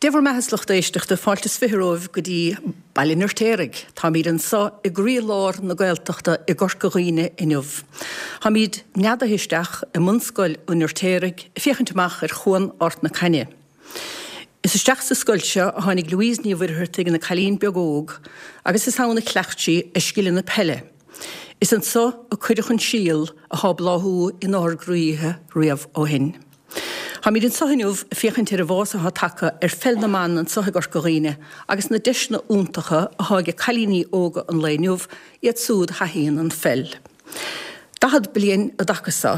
Dé bhur mbeatha a lucht éisteachta, fáilte is 20 romhaibh go dtí Baile an Fheirtéaraigh. Táimid anso i gcroí-lár na Gaeltachta i gCorca Dhuibhne inniu. Táimid neadaithe isteach i mBunscoil an Fheirtéaraigh ag féachaint amach ar Chuan Ard na Caithne. Is isteach sa scoil seo a tháinig Louise Ní Mhuircheartaigh ina cailín beag óg agus is ann a chleacht sí a scileanna peile. Is anso a cuireadh an síol athá bláthú inár gcroíthe riamh ó shin. Táimid anso inniu ag féachaint ar an bhfás athá tagtha ar pheil na mban anso i gCorca Dhuibhne agus na deiseanna iontacha athá age cailíní óga an lae inniu, iad súd a thaithíonn an pheil. 40 bliain i dtaca so,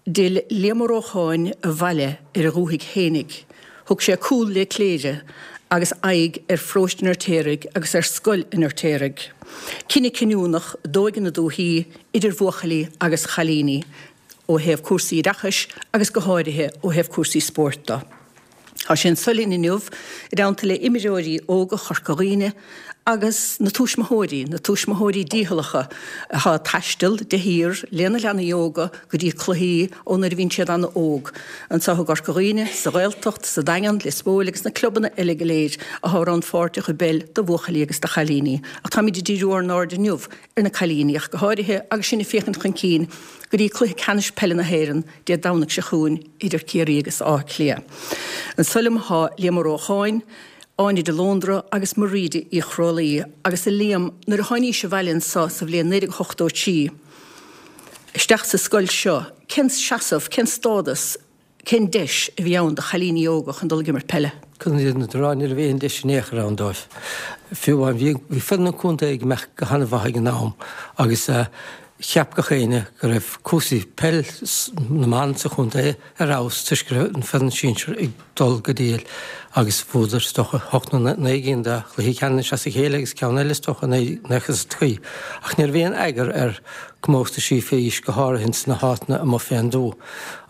d'fhill Liam Ó Rócháin abhaile ar a dhúthaigh fhéinig. Thug sé cúl le Cléire agus aghaidh ar pharóiste an Fheirtéaraigh agus ar scoil an Fheirtéaraigh. Cinneadh cinniúnach d'óige na dúthaí, idir bhuachaillí agus chailíní. ó thaobh cúrsaí oideachais agus go háirithe ó thaobh cúrsaí spóirt de. Tá sé anso linn inniu i dteannta le imreoirí óga Chorca Dhuibhne agus na tuismitheoirí, na tuismitheoirí dícheallacha atá ag taisteal de shíor lena leanaí óga go dtí cluichí ó nuair a bhíonn siad an-óg, anso i gCorca Dhuibhne, sa Ghaeltacht, sa Daingean, Lios Póil agus na clubanna eile go léir atá rannpháirteach i bpeil do bhuachaillí agus do chailíní. Ach táimid ag díriú ár n-aird inniu ar na cailíní ach go háirithe agus sinn ag féachaint chun cinn go dtí Cluiche Ceannais Peile na hÉireann Dé Domhnaigh seo chugainn idir Ciarraí agus Áth Cliath. Anso liom tá Liam Ó Rócháin, Áine de Lóndra agus Mairíde Uí Chrólaí agus a Liam, nuair a tháinís abhaile anso sa bhliain 1983 isteach sa scoil seo, cén seasamh, cén stádas, Cén deis a bhí ann do chailíní óga chun dul ag imirt peile? Chun an fhírinne a rá, ní raibh aon deis in aon chor ann dóibh. Fiú amháin, bhí, bhí foireann an chontae ag imeacht go han-mhaith ag an am agus cheap gach éinne go raibh cúrsaí peil na mban sa chontae ar fheabhas toisc go raibh an foireann sinsir ag dul go diail agus bhuadar is dócha hocht nó naoi gcinn de chluichí ceannais as a chéile agus ceann eile is dócha nach cuimhin. Ach ní raibh aon eagar ar comórtaisí fé aois go háirithe ins na háiteanna amuigh fén dtuath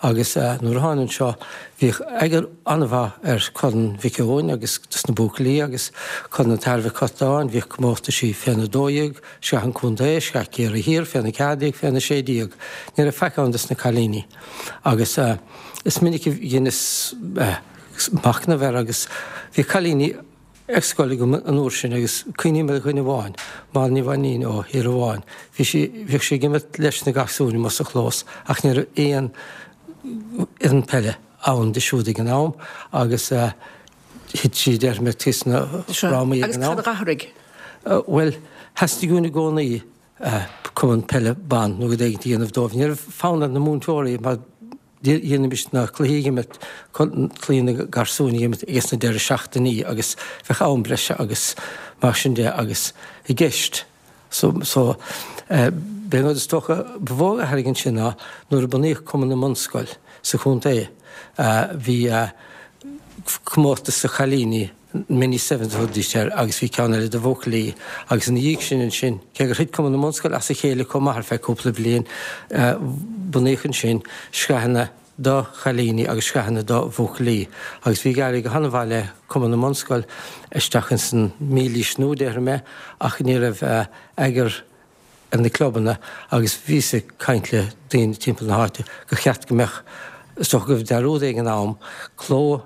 agus nuair a tháinig anseo bhíodh eagar an-mhaith ar Chorn Mhic Eoin agus dos na buachaillí agus Corn an tAthair Mhic Curtáin, bhíodh comórtaisí féna 12, Sraith an Chontae, Sraith Chiarraí Thiar, féna 14, féna 16. Ní raibh faic ann dos na cailíní agus is minic a dheineas machnamh air agus bhí cailíní ar scoil agam an uair sin agus cuimhním ar dhuine amháin, Máire Ní Mhainnín ó Thír Amháin, bhí sí, bhíodh sí ag imirt leis na gasúir amuigh sa chlós ach ní raibh aon fhoireann peile ann di siúd ag an am agus thit sí déarfaidh mé taobh sna frámaí ag an am. Agus cad a d'athraigh? Bhuel, theastaigh uainn i gcónaí cumann peile ban nó rud éigin a dhéanamh dóibh. Ní raibh fonn ar na múinteoirí mar Dhéanaimis na cluichí ag imirt, cluichí na garsúin ag imirt ages na deireadh seachtainí agus bheadh am breise agus mar sin de agus i gceist. So, so, b'é an rud is dócha ba mhó a athraigh ansin ná nuair a bunaíodh Cumann na mBunscol sa chontae, bhí comórtas do chailíní, Mini Sevens a thugaidís air agus bhí ceann eile do bhuachaillí agus ina dhiaidh sin ansin, cé gur thit Cumann na mBunscol as a chéile chomh maith ar feadh cúpla bliain, bunaíodh ansin sraitheanna do chailíní agus sraitheanna do bhuachaillí agus bhí ag éirí go han-mhaith le Cumann na mBunscol isteach ins an mílaois nua, déarfaidh mé, ach ní raibh eagar ar na clubanna agus bhíos ag caint le daoine timpeall na háite gur cheart go mbeadh, is dócha gurbh dearúd é ag an am, cló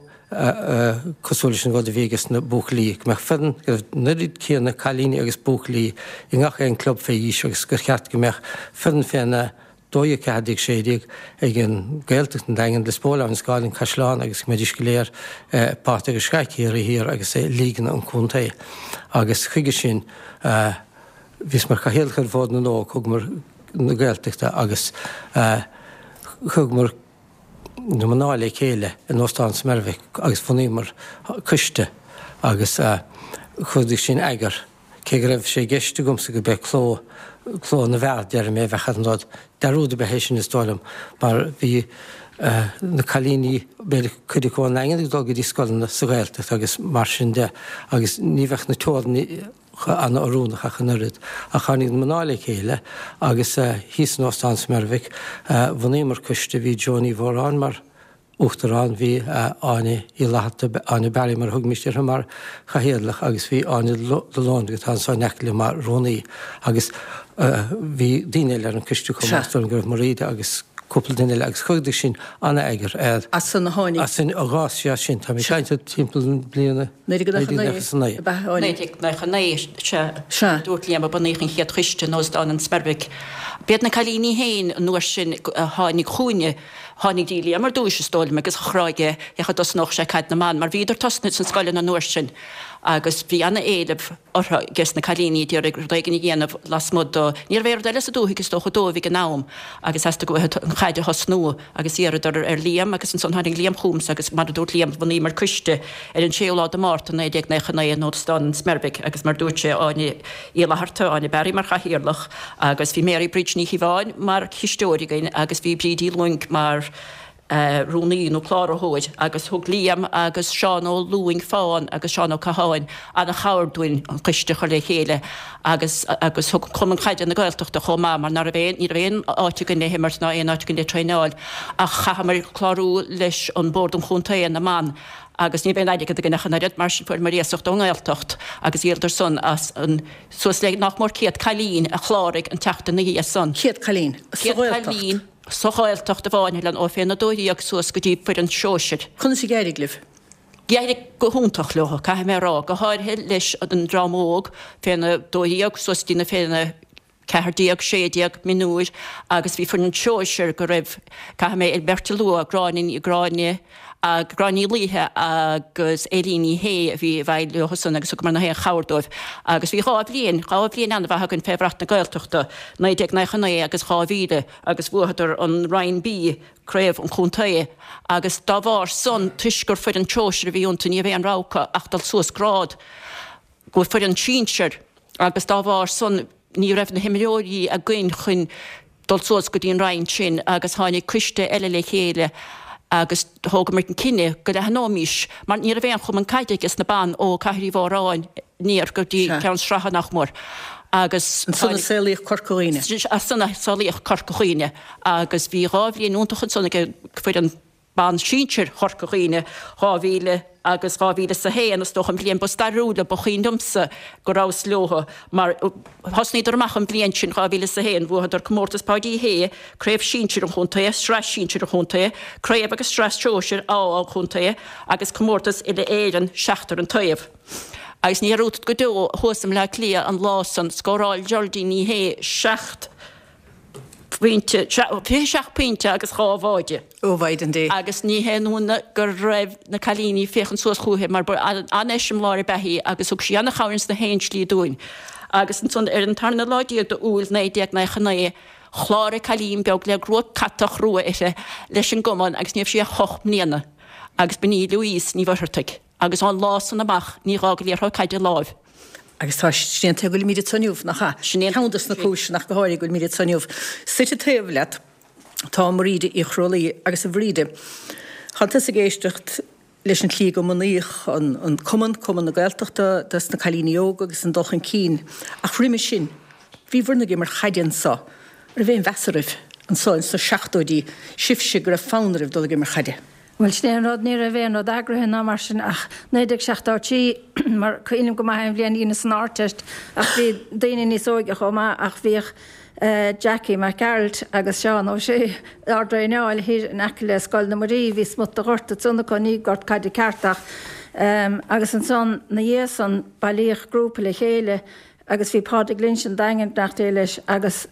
cosúil leis an rud a bhí ages na buachaillí, go mbeadh foireann, go raibh an oiread céanna cailíní agus buachaillí i ngach aon club fé aois agus gur cheart go mbeadh foireann féna 12, 14, 16 ag an Gaeltacht, an Daingean, Lios Póil, Abhainn an Scáil, an Caisleán agus go mbeidís go léir páirteach i Sraith Chiarraí Thiar agus i Lígeanna an Chontae. Agus chuige sin bhíos mar chathaoirleach ar Bhord na nÓg, thugamar na Gaeltachta agus thugamar na mná le chéile in Óstán Smerwick agus bhunaíomar coiste agus chuidigh sin eagar. Cé go raibh sé i gceist agamsa go b'é cló, cló na bhfear, déarfaidh mé, a bheadh ar an rud. Dearúd ab ea é sin is dóigh liom, mar bhí na cailíní, b'fhéidir cuid acu ón nDaingean ag dul go dtí scoileanna sa Ghaeltacht agus mar sin de agus ní bheadh na teorainneacha an-oiriúnach ach an oiread. Ach tháinig na mná le chéile agus thíos in Óstán Smerwick bhunaíomar coiste, bhí Joan Ní Mhóráin mar Uachtarán, bhí Áine Uí Fhlatharta, Áine Barry mar a thugaimist uirthi, mar Chathaoirleach agus bhí Áine de Lóndra, atá anso in aice liom, mar Rúnaí agus bhí daoine eile ar an coiste chomh maith, is dóigh liom go raibh Mairíde agus. cúpla duine eile agus chuireadar sin an-eagar ar. As san a tháinig. As sin a dh'fhás sé as sin. Tá mé ag caint timpeall na bliana 1999 ab ea a tháinig. 1999, sea. Sea. Dúirt Liam a bunaíodh an chéad choiste in Óstán an Smerwick. B'iad na cailíní féin an uair sin a tháinig chugainne. Tháinig dtí Liam ar dtúis, is dóigh liom, agus a chur aige cén chaoi a dtosnódh sé caid na mban, mar bhíodar tosnaithe sna scoileanna an uair sin agus bhí ana-éileamh orthu ages na cailíní ag iarraidh rud éigin a dhéanamh lasmuigh do, ní raibh aon rud eile sa dúthaigh is dócha dóibh ag an am agus theastaigh uathu an chaid a thosnú agus d'iarradar ar Liam agus ansan tháinig Liam chugamsa agus mar a dúirt Liam bhunaíomar coiste ar an séú lá de Márta 1999 in Óstán an Smerwick agus mar dúirt sé Áine Uí Fhlatharta, Áine Barry mar chathaoirleach agus bhí Mary Bridge Ní Chíobháin mar chisteoir againn agus bhí Bríd Uí Lúing mar rúnaí nó cláraitheoir agus thug Liam agus Seán Ó Lúing Fán agus Seán Ó Catháin an-chabhair dúinn an coiste a chur le chéile agus agus thug Cumann Caide na Gaeltachta chomh maith mar ná raibh aon ní raibh aon áit againn le himirt ná aon áit againn le traenáil ach chaitheamar clárú leis an Bord an Chontae na mBan agus ní raibh aon airgead againn ach an oiread mar sin fuaireamar iasacht ón nGaeltacht agus dhíoladar san as an suas le nach mór 100 cailín a chláraigh an tseachtain ina dhiaidh san. 100 cailín sa Ghaeltacht. Sa Ghaeltacht amháin, a Helen, ó féna 12 suas go dtí foireann sóisir. Conas a d'éirigh libh? D'éirigh go hiontach leo, caithfidh mé a rá, go háirithe leis an dream óg, féna 12 suas go dtí na féna 14, 16, mionúir, agus bhí foireann sóisir go raibh, caithfidh mé beirt a lua, Gráinne, Gráinne, Gráinne Ní Laoithe agus Eilín Ní Shé a bhí i bhfeighil leo san agus thugamar na haon chabhair dóibh agus bhí 2 bhliain, 2 bhliain an-mhaith againn fé bhrat na Gaeltachta, 1999 agus 2000 agus bhuadar an Roinn B, Craobh an Chontae, agus dá bharr san, toisc gur foireann sóisir a bhí iontu ní raibh aon rogha acu ach dul suas grád go foireann sinsir agus dá bharr san ní raibh na himreoirí againn chun dul suas go dtí an roinn sin agus tháinig coiste eile le chéile agus thógamar an cinneadh go leathnóimís mar ní raibh aon chumann caide ages na ban ó Cathair Uí Mhóráin aniar go dtí Ceann Sratha nach mór agus Ansan a saolaíodh Corca Dhuibhne. Ansan a saolaíodh Corca Dhuibhne agus bhí 2 bhliain iontach ansan ag foireann ban sinsir Chorca Dhuibhne, 2000 agus 2001, is dócha an bhliain ba stairiúla, ba chuimhin liomsa go rabhas leo mar thosnaíodar amach an bhliain sin, 2001, bhuadar Comórtas Páidí Uí Shé, Craobh Sinsir an Chontae, Sraith Sinsir an Chontae, Craobh agus Sraith Sóisir A an Chontae agus Comórtas Uile-Éireann seachtar an taobh. Agus ní dhearúdfad go deo thuas i mBleá Cliath an lá san, scóráil Geraldine Ní Shé 7 pointe, 27 pointe agus 2 bháide. Ó Mhaighdean Dé. Agus ní haon ionadh go raibh na cailíní ag féachaint suas chúithi mar ba an-eiseamláir ab ea í agus thug sí an-chabhair ins na haon slí dúinn. Agus ansan ar an tarna lá déag de Iúil 1999 chláraigh cailín beag le gruag catach rua uirthi leis an gcumann agus ní raibh sí ach ocht mbliana agus b'in í Louise Ní Mhuircheartaigh. Agus ón lá san amach ní dh'fhág liathróid caide a láimh. Agus tá, sin é an tuige go bhfuilimid anso inniu, nach ea? Sin é an. Ceann de na cúiseanna ach go háirithe go bhfuilimid anso inniu. Suite taobh leat tá Mairíde Uí Chrualaoi agus a Mhairíde, tá tusa ag éisteacht leis an tslí go mbunaíodh an cumann, Cumann na Gaeltachta dos na cailíní óga agus an dul chun cinn. Ach roimhe sin, bhíobhair ag imirt chaide anso. An raibh aon mheas oraibh anso ins na seachtóidí, sibhse go raibh fonn oraibh dul ag imirt chaide? Bhuel, sin é an rud, ní raibh aon rud eagraithe ná mar sin ach 1973, mar cuimhním go maith an bhliain a dheineas an Ardteist ach bhí daoine níos óige chomh maith ach bhíodh Jackie Mac Gearailt agus Seán Ó Sé ár dtraenáil thiar in aice le Scoil na Muirí, bhí smut de ghort ansan acu, ní gort caide ceart ach agus ansan 'na dhiaidh san bailíodh grúpa le chéile agus bhí Pádraig Lynch an Daingin, beannacht Dé leis, agus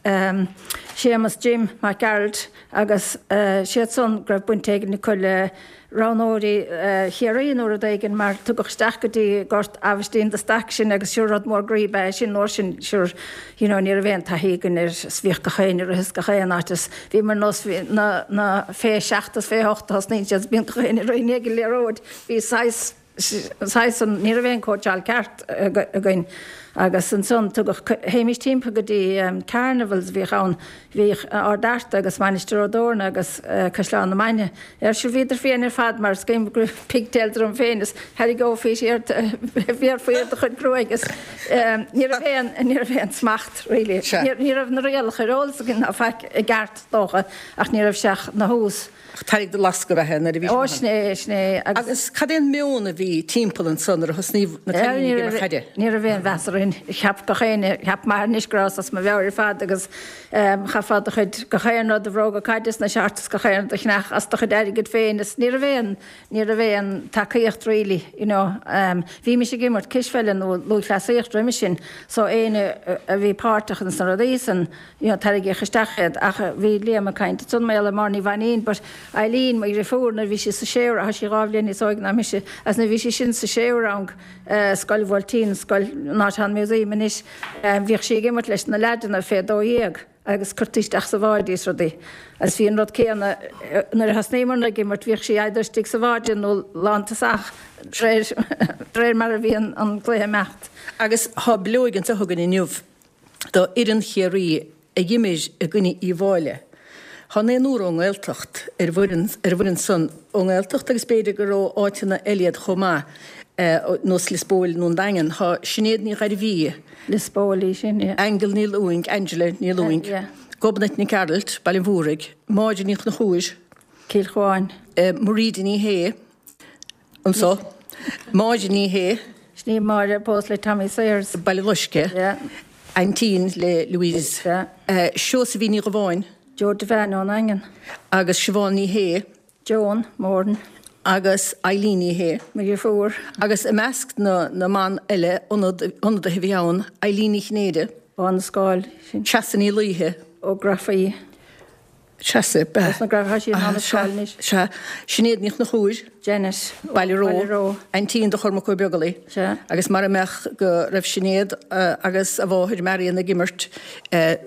Séamus Jim Mac Gearailt agus siad san go raibh baint éigin acu le roghnóirí Chiarraí nó rud éigin mar tugadh isteach go dtí Gort Aibhistín de Staic sinn agus sure rud mór groí ab ea é sin an uair sin sure you know ní raibh aon taithí againn air is bhíodh gach éinne ag rith as gach aon áit is bhí mar nós na na fé sheacht is fé hocht a thosnaíonn siad is bíonn gach éinne ag rith i ndiaidh an liathróid bhí saghas saghas an, ní raibh aon cóitseáil ceart againn agus ansan tugadh, théimis timpeall go dtí carnivals a bhíodh ann, bhíodh Ard Fhearta agus Mainistir Ó dTorna agus Caisleán na Mainge ar sure bhíodar fiáin ar fad mar is cuimhin go raibh pigtails orm féin is tharraingeofaí siar, bhéarfaí ar do chuid gruaige is ní raibh aon, ní raibh aon smacht really. Ní raibh na rialacha ar eolas againn ná faic i gceart dócha ach ní raibh sé ach 'na thús. Ach tarraig do lasc ab ea nuair a bhí sé. Ó sin é, sin é. Agus cad é an meon a bhí timpeall ansan nuair a thosnaíodh na cailíní ag imirt chaide? Ní raibh aon mheas orainn. Cheap gach éinne, cheap m'athair anois go rabhas as mo mheabhair ar fad agus chaithfeá do chuid, gach aon rud, do bhróga caide is na shorts is gach aon rud a cheannach as do chuid airgid féin is ní raibh aon, ní raibh aon tacaíocht really, you know. Bhímis ag imirt cispheile nó lúthchleasaíocht roimhe sin so éinne a bhí páirteach ins na rudaí san, you know, tarraingíodh isteach iad ach bhí Liam ag caint ansan mar gheall ar Máire Ní Mhainín but Eileen, mo dhriofúr, nuair a bhí sí sa séú rang, tá sí dhá bhliain níos óige ná mise, agus nuair a bhí sí sin sa séú rang, Scoil Bhuailtín, scoil an áit atá an museum anois, bhíodh sí ag imirt leis na leaideanna fé 12 agus cuirtí isteach sa bhád í is rudaí. Agus bhí an rud céanna nuair a thosnaíomarna ag imirt, bhíodh sí either istigh sa bhád nó lántosach de réir mar a bhí an cluiche ag imeacht. Agus tá bileoig anseo againn inniu do fhoireann Chiarraí a dh'imir i gcoinne Uíbh Fháilí. Tá naonúr ón nGaeltacht ar an bhfoireann, ar an bhfoireann san, ón nGaeltacht agus b'fhéidir gur ó áiteanna eile iad chomh maith, nós Lios Póil nó an Daingean. Tá Sinéad Ní Ghairbhí. Lios Póil í sin, yeah. Aingeal Ní Lúing, Angela Ní Lúing. Yeah. Gobnait Nic Gearailt, Baile an Mhúraigh, Máire Ní Chonchúir. Cill Chuáin. Mairíde Ní Shé. Anso, Máire Ní Shé. Sin í Máire a phós le Tommy Sayers. Baile Loiscthe. Yeah. Aintín le Louise. Yeah. Seosaimhín Ní Dhubháin. Joe Devane ón nDaingean. Agus Siobhán Ní Shé. Joan Moran. Agus Eileen Ní Shé. Mo dheirfiúr. Agus i measc na na mban eile, ionadaithe a bhí ann, Eileen Ní Chinnéide. Ó na Scáil. Treasa Ní Laoithe. Ó Grafaí. Treasa, b'ea. Os na Grafaí, tá sí in ann a scáil anois. Sea. Sinéad Ní Chonchúir. Janet. Baile Ró. Baile Ró. Aintín do Chormac Ó Beaglaoi. Sea. Agus mara mbeadh go raibh Sinéad agus a mháthair Marion ag imirt, a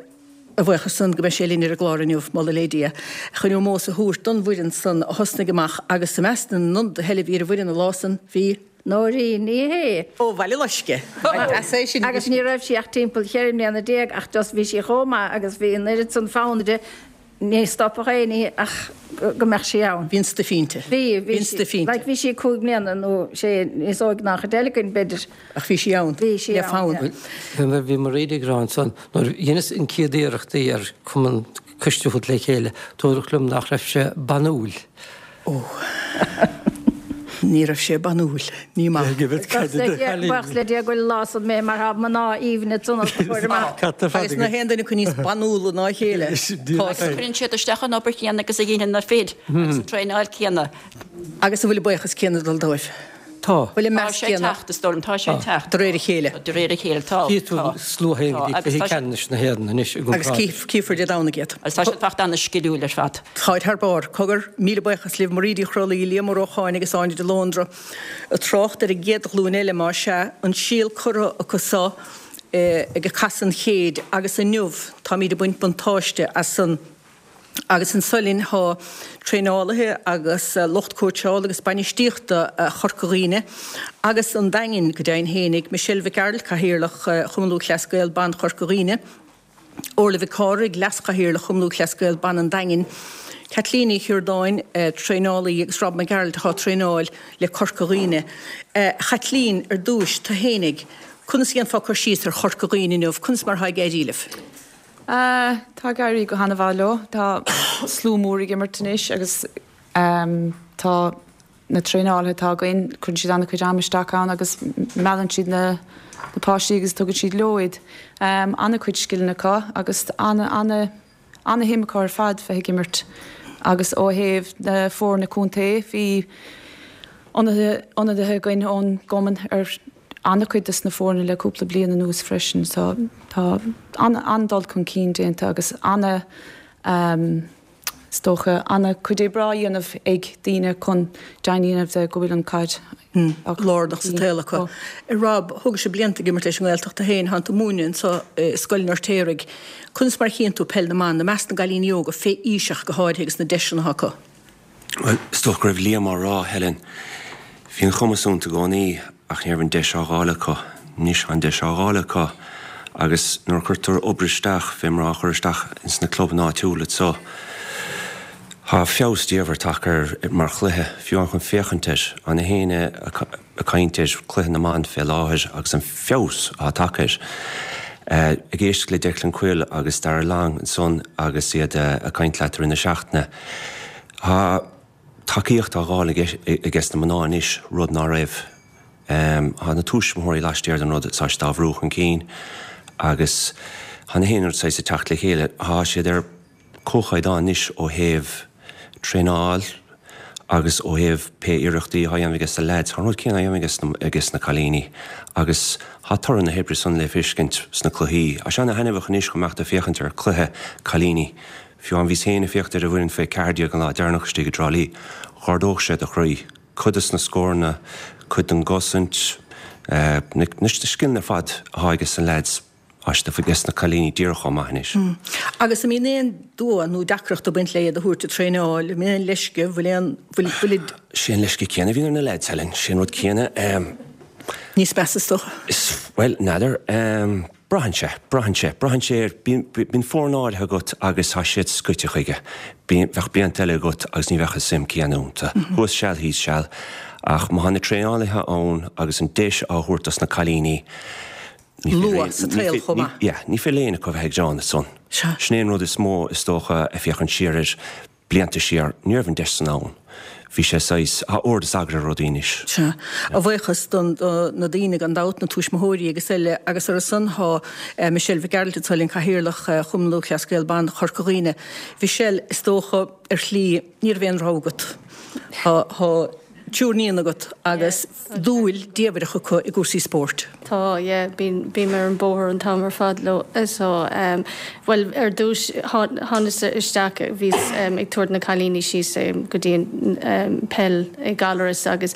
bhuíochas san go mbeidh sé linn ar an gclár inniu, moladh le Dia, chun ómós a thabhairt don bhfoireann san a thosnaigh amach agus i measc na n-ionadaithe eile a bhí ar an bhfoireann an lá san bhí. Nóirín Ní Shé. Ó Bhaile Loiscthe. Agus ní raibh sí ach timpeall cheithre mbliana ach just bhí sí chomh maith agus bhí an oiread san fonn uirthi, ní stopfadh éinne í ach go mbeadh sí ann. Bhí an stuif inti. Bhí, bhí sí. Like bhí sí cúig mbliana nó sé níos óige ná an chuid eile againn b'fhéidir. Ach bhí sí ann. Bhí sí Le ann, fonn. yeah. Bhí Mairéad ag rá ansan, nuair a dheineas an chéad iarrachtaí ar cumann coiste a thabhairt le chéile, dúradh liom nach raibh sé banúil. Ó. Ní raibh sé banúil. Ní maith. Buíochas le Dia go bhfuil an lá san imithe mar tá mná aoibhne ansan os do chomhair amach. Agus nach aon duine acu níos banúla ná a chéile. Cuireann siad isteach an obair chéanna agus a dhéanann na fir agus an traenáil céanna. Agus an bhfuil an buíochas céanna ag dul dóibh? Tá. Bhfuil an Tá meas sé ag céanna? teacht, is dóigh liom. Tá sé ag teacht. De réir a chéile. De réir a chéile, tá. Chífidh tú Tá. slua féin go dtí Tá. Agus cluichí tá sé. ceannais na hÉireann anois i Agus gcomparáid. cífear Dé Domhnaigh iad. Agus tá siad fachta ana-sciliúil ar fad. Táid thar barr. Cogar, míle buíochas libh, Mairéad Uí Chroithlí, Liam Ó Rócháin agus Áine de Lóndra. Ag trácht ar an gcéad ghlúin eile, más ea, an síol curtha acu so ag casadh an chéid agus inniu táimíd ag baint buntáiste as san. Agus anso linn tá traenálaithe agus lucht cóitseála agus bainistíochta Chorca Dhuibhne agus an Daingin go deimhin fhéinig, Michelle Mhic Gearailt, Cathaoirleach Chumann Lúthchleas Gael Ban Chorca Dhuibhne, Orla Mhic Cárthaigh, Leas-Chathaoirleach Chumann Lúthchleas Gael Ban an Daingin, Caitlín Ní Chiardáin, traenálaí agus Rob Mac Gearailt atá ag traenáil le Corca Dhuibhne. A Chaitlín, ar dtúis, tú fhéinig, conas a dhéanfá cur síos ar Chorca Dhuibhne inniu, conas mar atá ag éirí libh? Tá ag éirí go han-mhaith leo. Tá slua mór ag imirt anois agus tá na traenálaithe atá againn, cuireann siad an-chuid ama isteach ann agus meallann siad na páistí agus tugann siad leo iad. An-chuid scileanna acu agus an-shuim acu ar fad bheith ag imirt agus ó thaobh na foirne contae bhí ionadaithe againn ón gcumann ar an-chuid des na foirne le cúpla bliain anuas freisin so tá an-dul chun cinn déanta agus ana is dócha an-chuid oibre á dhéanamh ag daoine chun deimhin a dhéanamh de go bhfuil an chaid á cur lárnach sa tsaol acu. Rob, thógais blianta ag imirt leis an nGaeltacht tú féin, tánn tú ag múineadh anso i Scoil an Fheirtéaraigh. Conas mar a chíonn tú peil na mban, i measc na gcailíní óga, fé aois ach go háirithe agus na deiseanna atá acu? Bhuel, is dócha go raibh Liam á rá, Helen. Bhí an cumas iontu i gcónaí ach ní raibh an deis á dh'fháil acu. Anois tá an deis á dh'fháil acu agus nuair a chuirtear obair isteach, fé mar á chur isteach ins na clubanna áitiúla anso, tá feabhas diamhair tagtha air mar chluiche, fiú amháin chun féachaint air. Tá na héinne ag caint ar chluiche na mban fé láthair agus an feabhas atá tagtha air. Ag éisteacht le Declan Quill agus Darragh Long ansan agus iad ag caint leat i rith na seachtaine, tá tacaíocht á dh'fháil ages na mná anois, rud ná raibh. Tá na tuismitheoirí laistiar den rud, tá siad á bhrú chun cinn agus tá na haon rud saghas ag teacht le chéile. Tá siad ar comhchaighdeán anois ó thaobh traenáil agus ó thaobh pé iarrachtaí atá á dhéanamh ages na leaids. Tá an rud céanna á dhéanamh ages na cailíní agus tá toradh na hoibre san le feiscint sna cluichí. Tá sé ana-thaitneamhach anois chomh maith ag féachaint ar cluiche cailíní. Fiú amháin bhíos féin ag féachaint ar an bhfoireann fé 14 an lá deireanach istigh i dTrá Lí. Dh'ardódh sé do chroí. Cuid des na scóranna, cuid den gcosaint, na scileanna ar fad atá ages na leaids, tá siad ages na cailíní díreach chomh maith anois. Agus an mbíonn aon dua nó deacracht ag baint le iad a thabhairt ag traenáil, an mbíonn aon leisce, bhfuil aon, bhfuil, bhfuilid. Sé an leisce céanna a bhíonn ar na leaids, Helen, sé an rud céanna. Níos measa is dócha. Is, bhuel, n'fheadar. Braitheann sé, braitheann sé, braitheann sé ar, bíonn, bíonn foireann áirithe agat agus tá siad scoite chuige. Bíonn, bheadh blianta eile agat agus ní bheadh an suim céanna iontu. Thuas seal, thíos seal. Ach má tá na traenálaithe ann agus an deis á thabhairt dos na cailíní, ní féidir Luath sa tsaol chomh maith. Yeah, ní féidir le éinne acu a bheith ag gearán ansan. Sea. Sin é an rud is mó, is dócha, ag féachaint siar air. Blianta siar, ní raibh an deis san ann. Bhí sé saghas, tá ord is eagar ar rudaí anois. Sea. A bhuíochas do na daoine gan dabht, na tuismitheoirí agus eile, agus ar a son tá Michelle Mhic Gearailt anseo linn, Cathaoirleach Chumann Lúthchleas Gael Ban Chorca Dhuibhne. Michelle, is dócha, ar shlí, ní raibh aon rogha agat. Tá, tá triúr níon agat agus dúil diamhrach acu i gcúrsaí spóirt. Tá, yeah, bím, bím ar an bóthar an t-am ar fad leo. So, em, bhuel, ar dtús, thánas isteach, bhíos, em, ag tabhairt na cailíní síos, em, go dtí an, em, peil i gCalras agus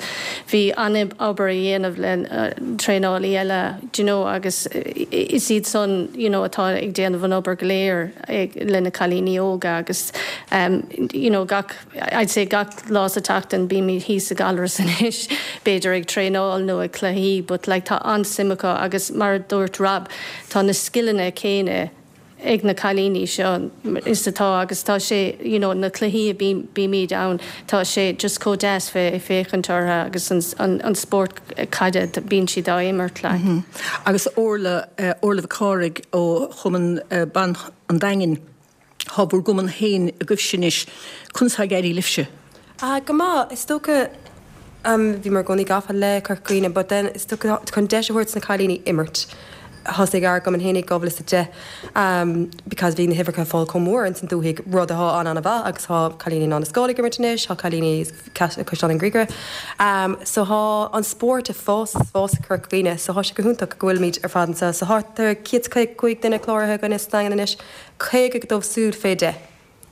bhí an-obair a dhéanamh le, eh, traenálaí eile, do you know, agus is iad san, you know, atá ag déanamh an obair go léir ag, le na cailíní óga agus, em, you know, gach, I'd say gach lá sa tseachtain bímid thíos i gCalras anois, b'fhéidir ag traenáil nó ag cluichí but like tá an-suim acu agus mar a dúirt Rob tá na scileanna céanna ag na cailíní seo is atá agus tá sé you know na cluichí a bímid ann tá sé just chomh deas bheith ag féachaint orthu agus an an an spórt caide bíonn siad á imirt like. Agus Orla, Orla Mhic Cárthaigh ó Chumann Ban an Daingin. Tá bhur gcumann féin agaibhse anois. Conas tá ag éirí libhse? Ah, go maith. Is dócha, bhíomar i gcónaí gafa le Corca Dhuibhne but then is dócha chun deis a thabhairt do na cailíní imirt, thosaigh ár gcumann féin i 2010 because bhí na huimhreacha ag fáil chomh mór ins an dúthaigh, rud atá an-an-mhaith agus tá cailíní in Anna Scoil ag imirt anois, tá cailíní Caisleán an Ghriaire. So tá an spórt ag fás is fás i Corca Dhuibhne so tá sé go hiontach go bhfuilimid ar fad anseo. So thart ar 155 duine cláraithe againne sa Daingean anois. 50 dóibh siúd fé 10.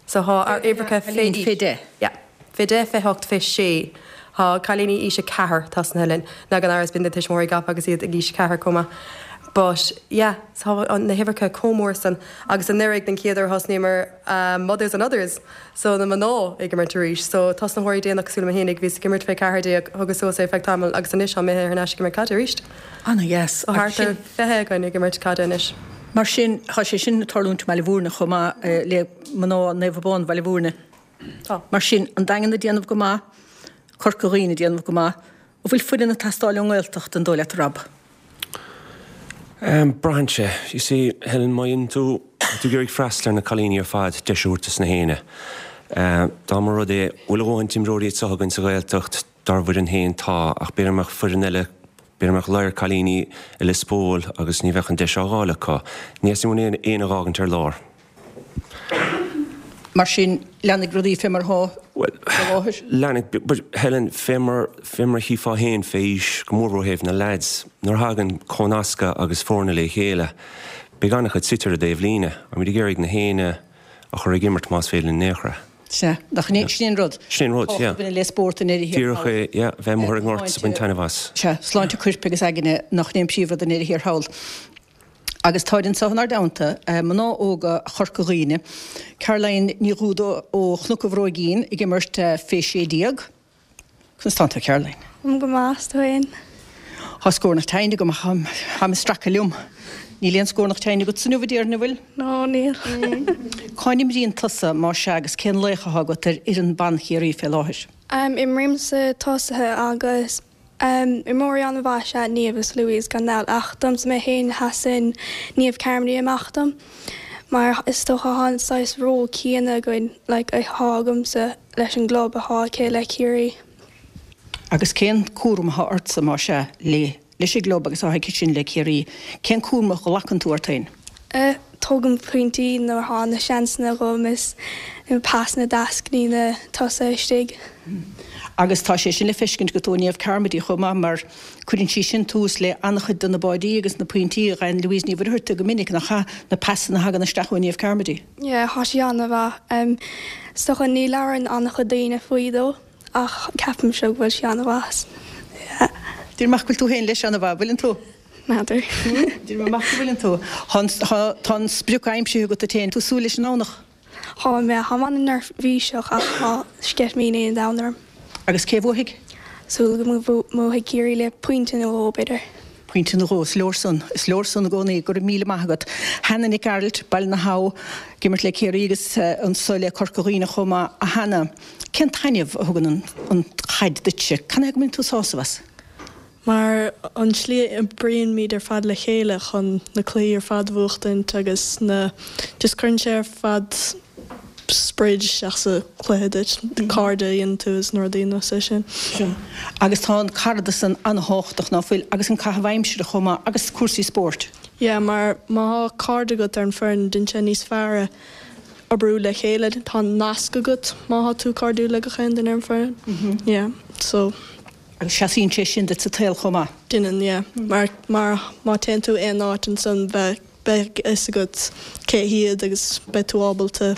So thá ár uimhreacha fé aois. Fé 10. Yeah. Fé 10, fé 8, fé 6. Thá cailíní aois 4 tosnaithe linn. Now gan amhras bíonn na tuismitheoirí gafa agus iad ag aois 4 chomh maith. But yeah, so thá na huimhreacha chomh mór san. Agus anuraidh den chéad uair thosnaíomar Mothers and Others. So na mná ag imirt arís. So tosnaitheoirí déanach cosúil liom féinig, bhíos ag imirt fé 14, thugas suas é feadh tamaill agus anois thá mé thar n-ais ag imirt caide arís. Ana-dheas. Tá thart ar 20 againn ag imirt caide anois. Mar sin, tá sé sin ag tarlúint i mBaile Bhúirne chomh maith le mná Naomh Abán Bhaile Bhúirne. Tá. Mar sin, an Daingean ag déanamh go maith, Corca Dhuibhne ag déanamh go maith. An bhfuil foireann ag teastáil ón nGaeltacht, an dóigh leat, a Rob? Braitheann sé. You see, Helen, má dhéanann tú, tá tú ag iarraidh freastal ar na cailíní ar fad, deis a thabhairt dos na héinne. Dá mba rud é, bhfuil a dhóthain d'imreoirí anseo againn sa Ghaeltacht, Dár bhfoireann féin, tá, ach b'fhéidir go mbeadh foireann eile, b'fhéidir go mbeadh ladhar cailíní i Lios Póil agus ní bheadh an deis á dh'fháil acu. Ní theastaíonn uainn éinne a dh'fhágaint ar lár. Mar sin, leanfaidh rudaí fé mar atá Bhuel, faoi láthair? leanfaidh, but Helen, fé mar, fé mar a chífeá féin fé aois, go mór mhór ó thaobh na leaids, nuair a thagann comhnascadh agus foirne le chéile, beidh an-chuid suite ar an dtaobh líne. Táimid ag iarraidh na héinne a chur ag imirt más féidir linn in aon chor é. Sea, nach in é, sin é an rud. Sin é an rud, yeah. Tábhacht a bhaineann le spórt i ndeireadh thiar Díreach é, yeah, bheith amuigh ar an ngort is ag baint taitneamh as. Sea, sláinte coirp agus aigne, nach in é an príomhrud i ndeireadh thiar thall. Agus táid anseo inár dteannta, mná óga Chorca Dhuibhne, Caroline Ní Dhúda ó Chnoc an Bhróigín ag imirt fé 16, Conas tánn tú, Caroline? Táim go maith, 's tú fhéin? Thá scornach tinn agam ach táim ag stracadh liom. Níl aon scornach tinn agatsa inniu, a déarfainn, an bhfuil? No, níl. Cá n-imríonn tusa, más ea, agus cén laoch athá agat ar fhoireann ban Chiarraí fé láthair? Imrím sa tosaithe agus imreoirí an-mhaith is ea Niamh is Louise gan dabht ach domsa mé féin sheasann Niamh Carmody amach dom mar is dócha thá an saghas ról céanna againn like athá agamsa leis an gclub athá aici le Ciarraí. Agus cén cúram atá ortsa, más ea, le leis an gclub agus atá aici sin le Ciarraí? Cén cúram a ghlacann tú ort féin? Tógaim pointí nuair atá na seansanna agam is na pasanna deas go dtí na tosaithe istigh. Agus tá sé sin le feiscint agat ó Niamh Carmody chomh maith mar cuireann sí sin tús le an-chuid de na báidí agus na pointí a fhaigheann Louise Ní Mhuircheartaigh go minic, nach ea? Na pasanna a thagann isteach ó Niamh Carmody. Yeah, tá sí an-mhaith. Is dócha ní labhrann an-chuid daoine faoi though ach ceapaimse go bhfuil sí an-mhaith. Yeah. Déarfainn amach go bhfuil tú féin leis an-mhaith, bhfuileann tú? N'fheadar. Déarfainn amach go bhfuileann tú. Tá an sprioc aimsithe agat duit féin. Tú súil leis an nDomhnach? Tá mé, tá mé an-neirbhíseach ach tá sceitimíní an domhain orm. Agus cé bhuafaidh? Súil agam go mbuafaidh Ciarraí le pointe nó dhó, b'fhéidir. Pointe nó dhó, is leor san. Is leor san i gcónaí. Go raibh míle maith agat. Hannah Nic Gearailt, Baile na hAbha, ag imirt le Ciarraí agus anso le Corca Dhuibhne chomh maith. A Hannah, cén taitneamh a thugann an chaid duitse? Cad é go mbaineann tú sásamh as? Mar an tslí a oibríonn-muid ar fad le chéile chun na cluichí ar fad a bhuachtaint agus na just cuireann sé ar fad sprid isteach sa chluiche duit, cairde a dhéanann tú is na rudaí nós é sin. Sea. Agus tá an caradas san an-thábhachtach, ná fuil? Agus an caitheamh aimsire chomh maith, agus cúrsaí spóirt. Yeah, mar má tá cairde agat ar an foireann, déanann sé níos fearr oibriú le chéile, tá nasc agat má tá tú cairdiúil le gach aon duine ar an foireann. Yeah, so. Agus seasaíonn sé sin duit sa tsaol chomh maith. Déanann, yeah. Mar, mar má téann tú aon áit ansan beidh, beidh a fhios agat cé hiad agus beidh tú ábalta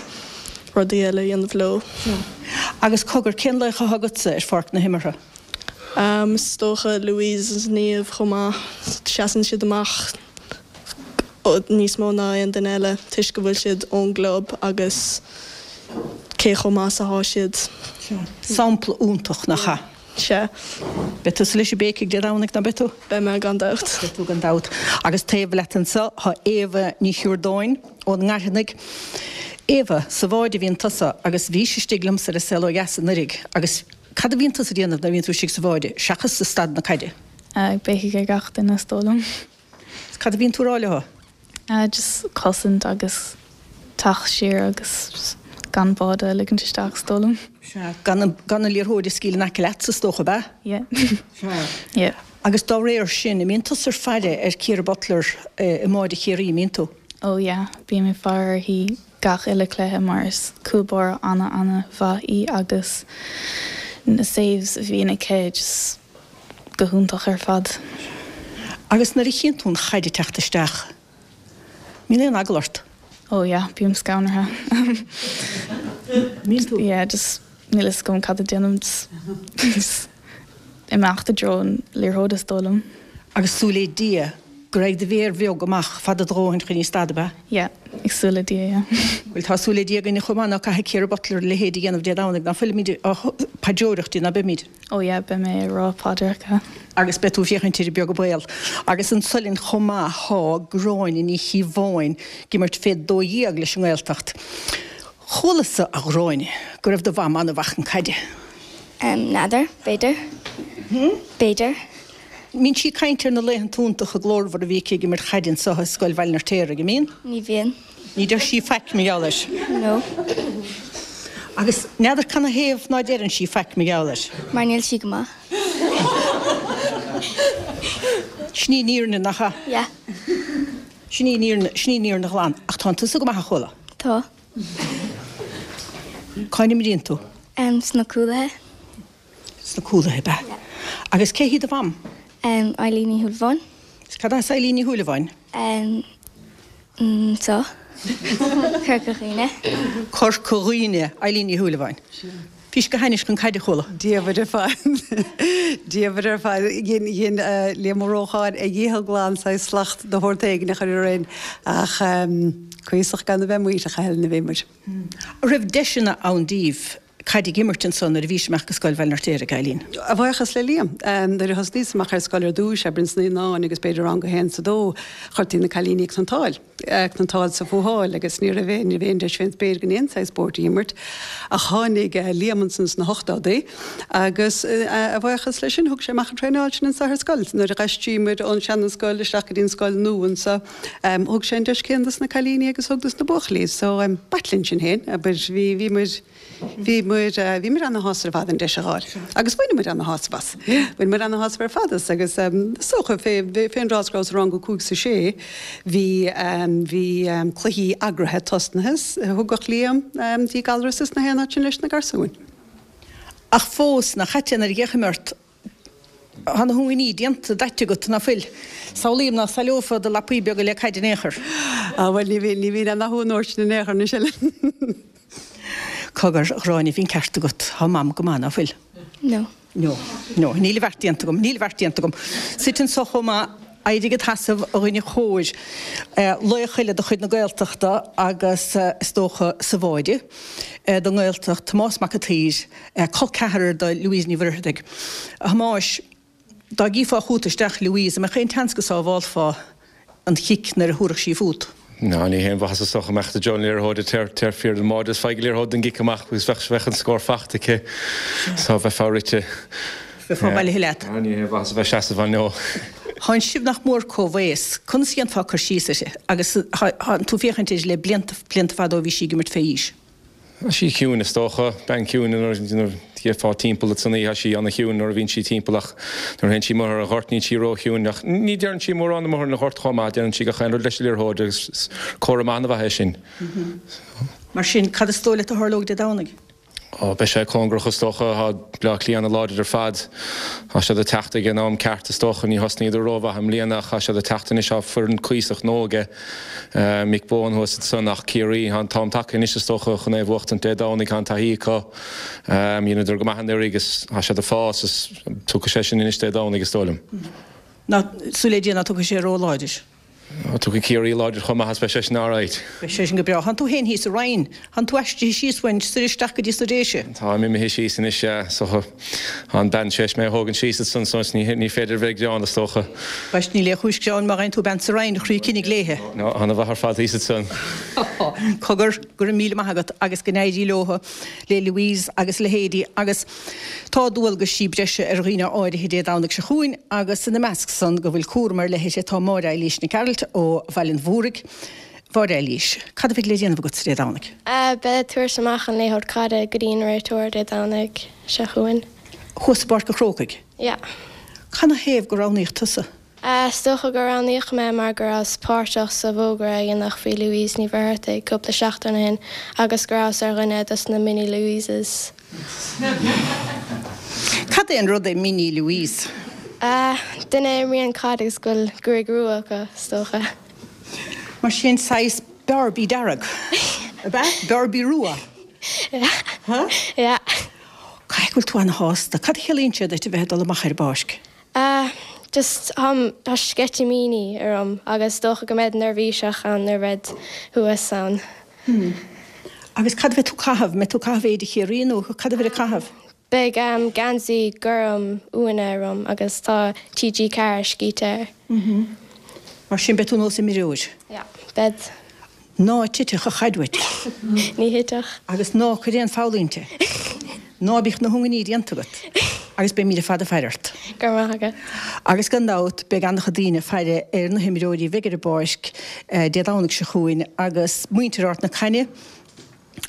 rudaí eile a dhéanamh leo. Yeah. Agus cogar, cén laoch atá agatsa ar pháirc na himeartha? Is dócha Louise is Niamh chomh maith. Seasann siad amach níos mó ná aon duine eile toisc go bhfuil siad ón gclub agus cé chomh maith is atá siad. Sampla iontach, nach ea? Sea. Beidh tusa leis ag béicigh Dé Domhnaigh, ná beidh tú? Beidh mé, gan dabht. Beidh tú gan dabht. Agus taobh leat anseo tá Éabha Ní Shiúrdáin ón nGairfeanaigh. Éabha, sa bhád a bhíonn tusa agus bhís istigh liomsa ar An Saol Ó Dheas anuiridh agus cad a bhíonn tusa ag déanamh nuair a bhíonn tú istigh sa bhád seachas ag stad na caide? Ag béicigh ar gach duine is dóigh liom. Is cad a bhíonn tú ag rá leo? Just cosaint agus teacht siar agus just gan báide a ligint isteach is dóigh liom. Sea, gan an, gan an liathróid a scaoileadh in aice leatsa is dócha, ab ea? Yeah. Sea. Yeah. Agus dá réir sin, an mbíonn tusa ar faire ar Ciara Butler i mbáide Chiarraí, an mbíonn tú? Oh yeah, bím ag faire uirthi gach uile cluiche mar is cúl báire ana ana mhaith í agus na saves a bhíonn aici just go hiontach ar fad. Agus nuair a chíonn tú an chaid ag teacht isteach, mbíonn aon eagla ort? Oh yeah, bím scanraithe. Mbíonn tú? Yeah, just níl fhios agam cad a déanaim, just just imeacht i dtreo an liathróid is dóigh liom. Agus súil le Dia go raghaidh do mhéar bheag amach fada do dhóthain chun í a stad, ab ea? Yeah, ag súil le Dia, yeah. Bhuel, tá súil le Dia againne chomh maith ná caithfidh Ciara Butler a leithéid a dhéanamh Dé Domhnaigh, ná fuilimid á paidreoireacht di, ná beimid? Oh yeah, beidh mé ag rá paidreacha. Agus beidh tú ag féachaint uirthi beag an baol. Agus anso linn chomh maith thá Gráinne Ní Chíobháin ag imirt fé 12 leis an nGaeltacht. Chualas-sa, a Ghráinne, go raibh do mham an-mhaith chun caide. N'fheadar, b'fhéidir. B'fhéidir. Mbíonn sí ag caint ar na laethanta iontacha glórmhara a bhí aici ag imirt chaide anso i Scoil Bhaile an Fheirtéaraigh, an mbíonn? Ní bhíonn. Ní deir sí faic mar gheall air. No. Agus n'fheadar canathaobh ná deireann sí faic mar gheall air. Mar níl sí go maith. Sin í an fhírinne, nach ea? Yeah. Sin í an fhírinne, sin í an fhírinne ghlan. Ach tánn tusa go maith, a chuala. Tá. Cá n-imríonn tú? Em, sna cúlaithe. Sna cúlaithe, ab ea? Agus cé hí do mham? Eileen Ní Shúilleabháin. Is cad as Eileen Ní Shúilleabháin? Anseo. Corca Dhuibhne. Corca Dhuibhne, Eileen Ní Shúilleabháin. Bhís go hainnis chun caide, chuala. Dia dhuit ar fad. Dia dhuit ar fad. Dhein, dhein Liam Ó Rócháin a dhícheall glan saghas slacht de shórt éigin a chur orainn ach cuíosach gan a bheith maoithneach a Helen a bhí muid. An raibh deiseanna ann daoibh caid ag imirt ansan nuair a bhís amach go Scoil Bhaile an Fheirtéaraigh, Eileen? A bhuíochas le Liam. Nuair a thosnaíos amach ar scoil ar dtúis, abair ins na naíonáin agus b'fhéidir rang a haon is a dó, chuirtí na cailíní ag tointeáil. Cniotáil 's a fuatháil agus ní raibh aon, ní raibh aon deis fén spéir againn aon saghas spóirt a imirt. Ach tháinig Liam ansan sna hochtódaí agus a bhuíochas leis sin thug sé amach ag traenáil sinn anso ar scoil. Nuair a d'aistríomar ón seana-scoil isteach go dtí an scoil nua anso thug sé an deis céanna dos na cailíní agus thug dos na buachaillí. So b'ait linn sin féin, abair, bhí, bhí muid, Bhí muid, bhí muid ana-shásta ar fad an deis a dh'fháil. Agus bhain muid ana-shásamh as. Bhain muid ana-shásamh ar fad as agus is dócha fé, fén dtráth is go rabhas i rang a 5 's a 6 bhí, bhí cluichí eagraithe tosnaithe 's thugadh Liam dtí Gallarus is na haon áit sin leis na garsúin. Ach fós, nach ait é nuair a fhéachaim ort Tá na hungainí déanta daite agat, ná fuil? Samhlaím ná saileofá do lapaí beaga le caid in aon chor. Á, bhuel, ní bhíonn, ní bhíonn aon dathú an uair sin in aon chor anois, Helen. Cogar, a Ghráinne, bhí an ceart agat. Tá Mam go maith, ná fuil? No. No. No. Níl a bheart déanta agam. Níl a bheart déanta agam. Suite anso chomh maith, éirigh id sheasamh, a dhuine chóir. Laoch eile de chuid na Gaeltachta agus, is dócha, sa bháide don nGaeltacht, Tomás Mac an tSaoir. Col ceathrar do Louise Ní Mhuircheartaigh. A Thomáis, dá gcífeá chugat isteach Louise, an mbeadh aon tseans go sábhálfá an chic nuair a thabharfadh sí fút? Ná, ní haon mhaitheas is dócha a mbeadh do Joe an liathróid ag tabhairt an bháide is faigh an liathróid don gcic amach agus bheadh bheadh an scór fachta aici so bheifeá rite. Bheifeá bailithe leat. Ná, ní haon mhaitheas a bheith seasamh ann, no. Thánn sibh nach mór comhaos. Conas a dhéanfá cur síos uirthi? Agus thánn tú féachaint uirthi le blianta, blianta fada ó bhí sí ag imirt fé aois. Tá sí ciúin is dócha, bean ciúin nuair a gheofá timpeall ansan í, tá sí ana-chiúin nuair a bhíonn sí timpeall ach nuair a théann sí amuigh ar an ghort níl sí ró-chiúin ach ní deireann sí mórán amuigh ar an ghort chomh maith, deireann sí gach aon rud leis an liathróid agus is comhartha maith ana-mhaith é sin. Mar sin, cad is dóigh leat a tharlóidh Dé Domhnaigh? Ó, beidh sé cóngarach is dócha, tá Bleá Cliath ana-láidir ar fad, tá siad ag teacht ag an am ceart is dócha, ní thosnaíodar rómhaith i mbliana ach tá siad ag teacht anois, tá foireann cuíosach nua aige. Mick Bohan thuas ansan ach Ciarraí, tá an t-am tagtha anois is dócha chun é a bhuachtaint Dé Domhnaigh, tá an taithí acu, dheineadar go maith anuraidh agus tá siad ag fás is tiocfaidh sé sin anois Dé Domhnaigh is dóigh liom. Ná, súil le Dia ná tiocfaidh sé ró-láidir. Tiocfaidh Ciarraí láidir chomh maith is beidh sé sin alright. Beidh sé sin go breá. Thánn tú féin thíos sa Rinn. Thánn tú aistrithe síos uainn soir isteach go dtí sna Déise. Táim imithe síos anois, yeah. So, tá an bean tar éis mé a thógaint síos ansan so ní, ní féidir a bheith ag gearán is dócha. Bhuel, níl aon chúis gearáin má fhaigheann tú bean sa Rinn, a chroí cinnidh léithe. No, ana-mhaith ar fad thíos ansan. Cogar, go raibh míle maith agat agus go n-éirí leo, le Louise agus leithéidí agus tá dualgaisí breise ar dhaoine áirithe Dé Domhnaigh seo chugainn agus ina measc san go bhfuil cúram ar leith uirthi tá Máire Eilís Nic Gearailt ó Bhaile an Mhúraigh. Mháire Eilís, cad a bheidh le déanamh agat Dé Domhnaigh? Beidh ag tabhairt amach an liathróid caide go dtí an réiteoir Dé Domhnaigh seo chugainn. Thuas i bPáirc an Chrócaigh? Yeah. Canathaobh gur roghnaíodh tusa? Is dócha gur roghnaíodh mé mar go rabhas páirteach sa bhfógra a dhéanadh faoi Louise Ní Mhuircheartaigh cúpla seachtain ó shin agus go rabhas ar dhuine dos na Mini Louises. Cad é an rud é Mini Louise? Duine a imríonn caid agus go bhfuil gruaig rua acu, is dócha. Mar sin, saghas Barbie dearg, ab ea? Barbie rua? Yeah. Yeah. Caithfidh go bhfuil tú ana-shásta. Cad a chiallaíonn sé duit a bheith ag dul amach ar an bpáirc? Ah, just, táim, tá sceitimíní orm agus is dócha go mbead neirbhíseach ann nuair a bhead thuas ann. Hmm. Agus cad a bheidh tú ag caitheamh? Mbeidh tú ag caitheamh éide Chiarraí nó cad a bheidh ag caitheamh? Beidh geansaí gorm uaine orm agus tá TG4 scríte air. Mhm. Mar sin beidh tú nós imreoir? Yeah, bead. Ná titeadh an chaid uait. Ní thitfeadh. Agus ná cuir aon pholl inti. Ná bíodh na hungainí déanta agat. Agus beimid ar fad ag faire ort. Go raibh maith agat. Agus gan dabht beidh an-chuid daoine ag faire ar na himreoirí a bheidh ar an bpáirc Dé Domhnaigh seo chugainn agus muintir Ard na Caithne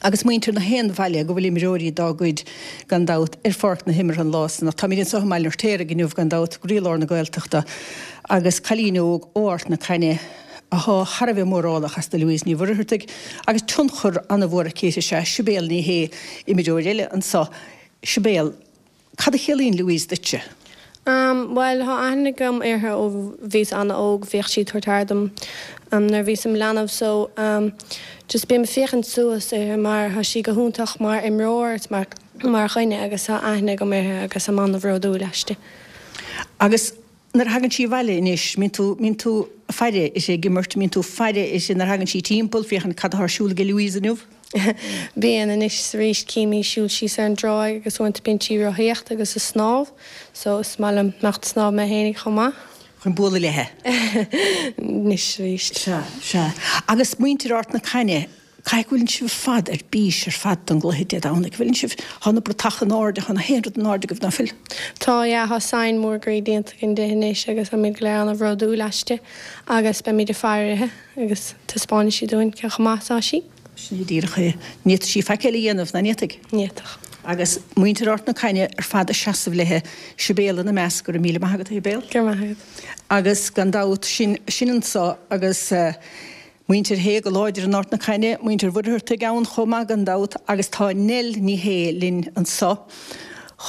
agus muintir na haon bhaile go bhfuil imreoirí dá gcuid, gan dabht, ar pháirc na himeartha an lá san. Ach táimid anseo i mBaile an Fheirtéaraigh inniu, gan dabht, i gcroílár na Gaeltachta, agus cailín óg ó Ard na Caithne athá thar a bheith mórálach as do Louise Ní Mhuircheartaigh, agus tionchar an-mhór aici is ea Sibéal Ní Shé, imreoir eile anseo. Sibéal. Cad a chiallaíonn Louise duitse? Bhuel, tá aithne agam uirthi ó bhíos an-óg, bhíodh sí ag tabhairt aire dom nuair a bhíos i mo leanbh so just bím ag féachaint suas uirthi mar tá sí go hiontach mar imreoir is mar mar dhuine agus tá aithne agam uirthi agus táim an-bhródúil aisti. Agus Nuair a thagann sí abhaile anois, mbíonn tú, mbíonn tú ag faire uirthi ag imirt, mbíonn tú ag faire uirthi nuair a thagann sí timpeall, féachaint cad atá ar siúl aige Louise inniu? Bíonn, anois is arís cím í ag siúl síos ar an dtráigh agus uaireanta bíonn sí ag rothaíocht agus ag snámh so is maith liom imeacht ag snámh mé fhéinig chomh maith. Chun bualadh léithe. Anois arís. Sea, sea. Agus muintir Ard na Caithne, caithfidh go bhfuileann sibh ar fad ar bís ar fad don gcluiche Dé Domhnaigh. Bhfuileann sibh, thá na bratacha in airde, thá na haon rud in airde agaibh, ná fuil? Tá, yeah, thá sign mór groí déanta againn di anois agus táimid go léir ana-bhródúil aisti agus beimid ag faire uirthi agus taispeánfaidh sí dúinn cé chomh maith is atá sí. Sin é díreach é. Ní fhéadfadh sí faic eile a dhéanamh, ná ní fhéadfadh? Ní fhéadfadh. Agus muintir Ard na Caithne ar fad ag seasamh léithe, Sibéal ina measc, go raibh míle maith agat, a Shibéal. Go raibh maith agat. Agus gan dabht, sin, sin anso agus muintir Shé go láidir in Ard na Caithne, muintir Mhuircheartaigh ann chomh maith gan dabht agus tá Nell Ní Shé linn anso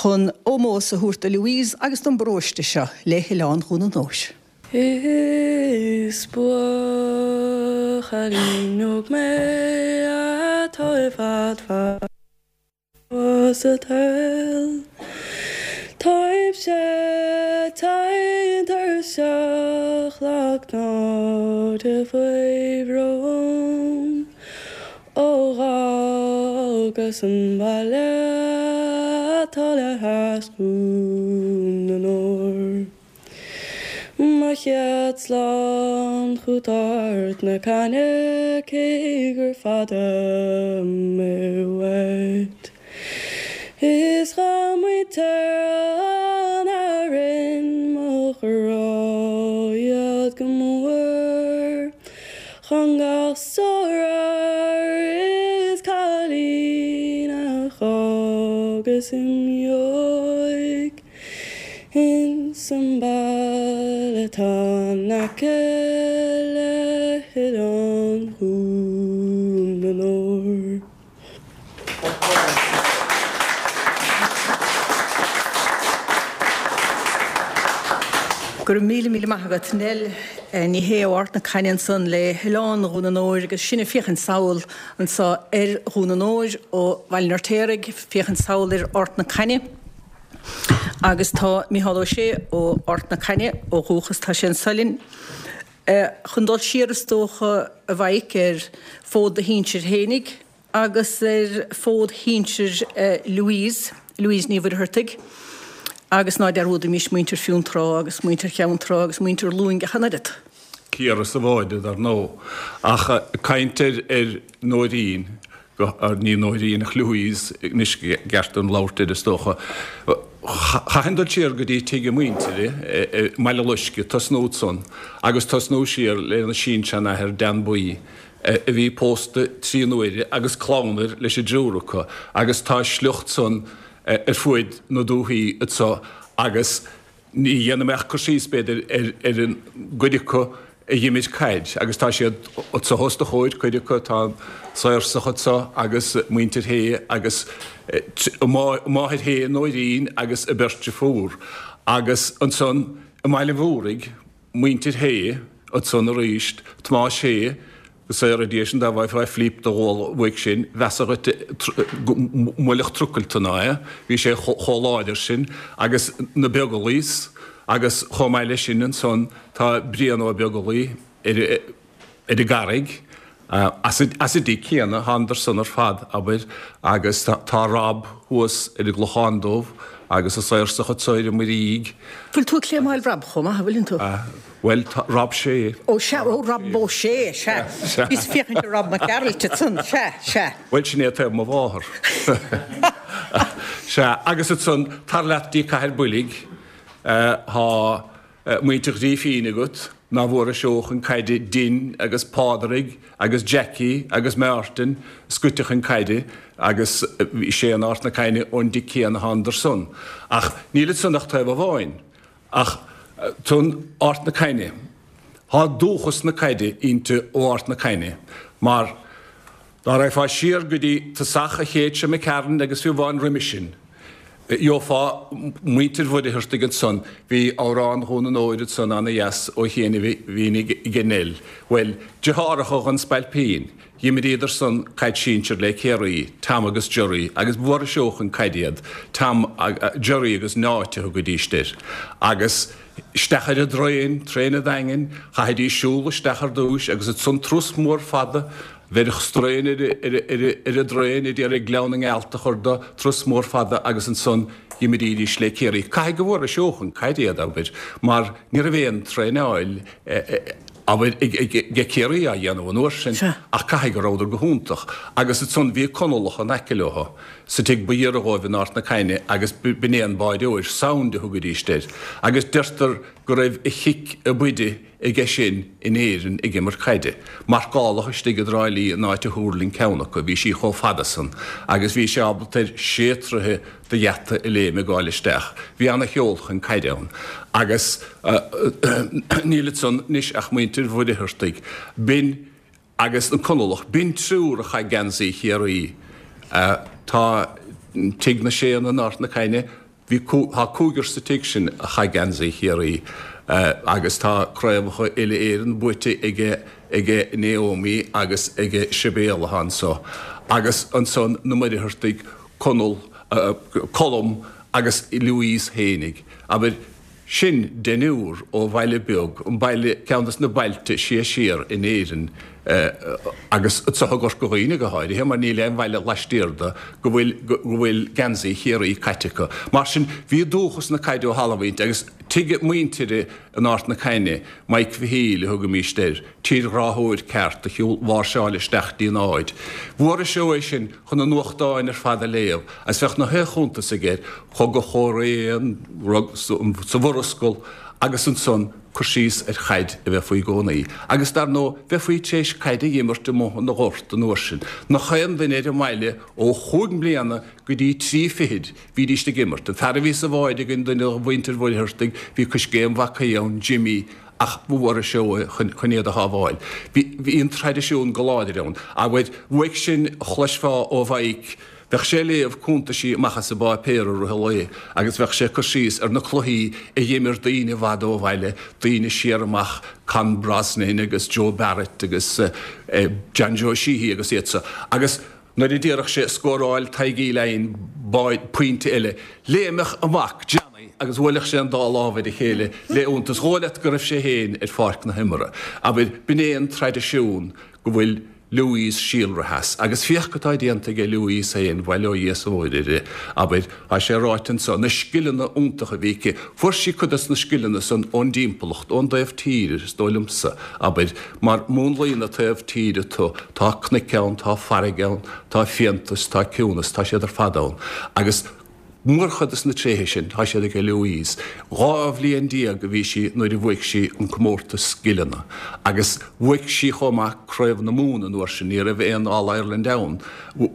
chun ómós a thabhairt do Louise agus don bparóiste seo le hOileán Dhún an Óir. Is buachaillín óg mé atá i bhfad fada sa tsaol. Táimse tinn tuirseach lagnáide faoi bhrón ó dh'fhágas an baile atá le hais Dhún na nÓr. Mo chéad slán chút Ard na Caithne cé gur fada mé uait. Is ghabh muintir an Árainn mo ghrá iad go mór Chun gasúr is cailín a dh'fhágas im dhiaidh. Ins an baile atá in aice le hOileán Dhún na nÓr. Go raibh míle míle maith agat, Nell Ní Shé ó Ard na Caithne ansan le hOileán Dhún na nÓir agus sinn ag féachaint sall anso ar Dhún na nÓir ó Bhaile an Fheirtéaraigh, féachaint sall ar Ard na Caithne. Agus tá Micheál Ó Sé ó Ard na Caithne ó dhúchas, tá sé anso linn. Chun dul siar is dócha, a Mhaidhc, ar fód do shinsir fhéinig agus ar fód shinsir Louise, Louise Ní Mhuircheartaigh, agus ná dearúdaimis muintir Fionntrá agus muintir Cheann Trá agus muintir Luing ach an oiread. Ciara sa bháide, dar ndóigh. Ach caint ar Nóirín, ní Nóirín ach Louise anois i gceart dom labhairt air is dócha. Chaithfinn dul siar go dtí tigh a muintire i mBaile Loiscthe, tosnú ansan agus tosnú siar lena sin-seanathair Dan Buí a bhí pósta trí n-uaire agus clann air leis an dtriúr acu agus tá a sliocht san ar fuaid na dúthaí anso agus Ní dhéanfaidh mé ach cur síos, b'fhéidir, ar an gcuid acu a dh'imir caid, agus tá siad anso os do chomhair, cuid acu, tá an Saorsach anso agus muintir Shé agus a máthair féin, Nóirín, agus a beirt deirfiúr. Agus ansan i mBaile Mhúraigh, muintir Shé ansan arís, Tomás Sé, Go saora Dia sinn dá bhfaighfeá flíp de ghual uaidh sin, mheasfá dhuit go mbuailfeadh trucail ná é, bhí sé chomh láidir sin, agus na Beaglaois, agus chomh maith leis sin ansan tá Brian Ó Beaglaoi ar ar an gCarraig, as an dtigh céanna, thánadar san ar fad, abair, agus tá Rob thuas ar an gClochán Dubh agus an Saorsach anso ar an Muirígh. Bhfuil tú ag claimáil Rob chomh maith, an bhfuileann tú? Bhuel, tá Rob Sé. Ó sea, ó Rob Ó Sé, sea. Bhíos ag féachaint ar Rob Mac Gearailt ansan, sea, sea. Bhuel, sin é taobh mo mháthar. Sea, agus ansan, tar leat dtí Cathair Boilg, tá muintir Ghrífín agat, ná bhfuarais seó chun caide Din agus Pádraig agus Jackie agus Martin scoite chun caide agus bhí sé in Ard na Caithne ón dtigh céanna thánadar san. Ach níl ansan ach taobh amháin. Ach tonn Ard na Caithne. Thá dúchas na caide inti ó Ard na Caithne, mar dá raghfá siar go dtí tosach an chéid seo imigh tharainn agus fiú amháin roimis sin, gheofá muintir Mhuircheartaigh ansan. Bhí Amhrán Dhún an Óir ansan ana-dheas ó chianaibh ag Nell. Bhuel, deartháireacha dhon Spailpín, Dh'imríodar san caid sinsir le Ciarraí, Tom agus Gerry, agus b'fhuara seó chun caide iad, Tom, Gerry agus Neáit a thugaidís air. Agus isteach ar an dtraein, traein an Daingin, chaithfidís siúl isteach ar dtúis agus ansan turas mór fada. Bheireadh straidhn ar an dtraein a d'iarraidh Gleann na nGealt a chur de, turas mór fada agus ansan d'imrídís le Ciarraí. Caithfidh go bhfuair Seó chun caide iad, abair, mar ní raibh aon traenáil, abair, ag Ciarraí á dhéanamh an uair sin ach caithfidh go rabhadar go hiontach. Agus ansan bhí Conallach in aice leo, sa tigh ba ghiorra dhóibh in Ard na Caithne agus b'in é an báireoir, Sound a thugaidíst air. Agus deirtear go raibh a chic ab fhaide aige sin in Éirinn ag imirt caide. Marcálach istigh i dTrá Lí an áit a thuirling ceann acu, bhí sí chomh fada san agus bhí sé ábalta ar sé troithe de gheata a léim ag gabháil isteach. Bhí ana sheol chun caide ann. Agus níl ansan anois ach muintir Mhuircheartaigh. B'in Agus an Conallach, b'in triúr a chaith geansaí Chiarraí. Tá Tigh na Séanna in Ard na Caithne, bhí, tá cúigear sa tigh sin a chaith geansaí Chiarraí agus tá craobhacha uile-Éireann buaite aige, aige Naomi agus aige Sibéal atá anso. Agus ansan na Muircheartaigh, Conall, Colm agus Louise fhéinig. Abair. Sin deichniúr ó bhaile beag, an baile, ceann des na bailte sia siar in Éirinn agus anso i gCorca Dhuibhne go háirithe mar níl aon bhaile laistiar de go bhfuil, go bhfuil geansaí Chiarraí caite acu. Mar sin bhí dúchas na caide ó thalamh inti agus tigh muintire in Ard na Caithne, Mike Mhichíl a thugaimíst air, tírghráthóir ceart a shiúl, mháirseáil isteach dtí an áit. Bhfuair seó é sin chun na nuachtáin ar fad a léamh agus bheadh na haon chuntas aige air, Cogadh Chóiré, an rud sa Mhurascaill agus ansan cur síos ar chaid a bheith faoi i gcónaí. Agus dar ndóigh, bheifí tar éis caid a dh'imirt amuigh ina ghort an uair sin. Nach aon duine ar an mbaile ó chúig mbliana go dtí trí fichid, bhídíst ag imirt. An fear a bhí sa bhád againn, duine de mhuintir Mhuircheartaigh, bhí coiscéim mhac aoidh ann, Jimmy, ach ba mhór an seó é chun iad a shábháil. Bhí an traidisiún go láidir ann. Abair, uaidh sin a chloisfeá ó Mhaidhc, bheadh sé ag léamh cuntaisí amach as an bpáipéar i rith an lae agus bheadh sé ag cur síos ar na cluichí a dh'imir daoine i bhfad ó bhaile, daoine siar amach, Con Brosnan agus Joe Barrett agus John Joe Sheehy agus iad so. Agus nuair a déarfadh sé, scóráil Tadhg Uí Leighin pointe eile, léimfeadh a mhac, Johnny, agus bhuailfeadh sé an dá lámh ar a chéile le iontas. Dhóigh leat go raibh sé féin ar pháirc na himeartha. Abair, b'in é an traidisiún go bhfuil Louise síolraithe as. Agus féach cad tá déanta aige Louise féin, bail ó Dhia is ó Mhuire uirthi, abair, tá sé ráite anso, na scileanna iontacha a bhí aici. Fuair sí cuid dos na scileanna san ón dtimpeallacht, ón dtaobh tíre, is dóigh liomsa, abair, mar múnlaíonn an taobh tíre tú, tá cnoic ann, tá farraige ann, tá fiántas, tá ciúnas, tá siad ar fad ann. Agus mórchuid dos na tréithe sin, tá siad aige Louise. 12 bhliain a bhí sí nuair a bhuaigh sí an comórtas scileanna. Agus bhuaigh sí chomh maith Craobh na Mumhan an uair sin, ní raibh aon All Ireland ann.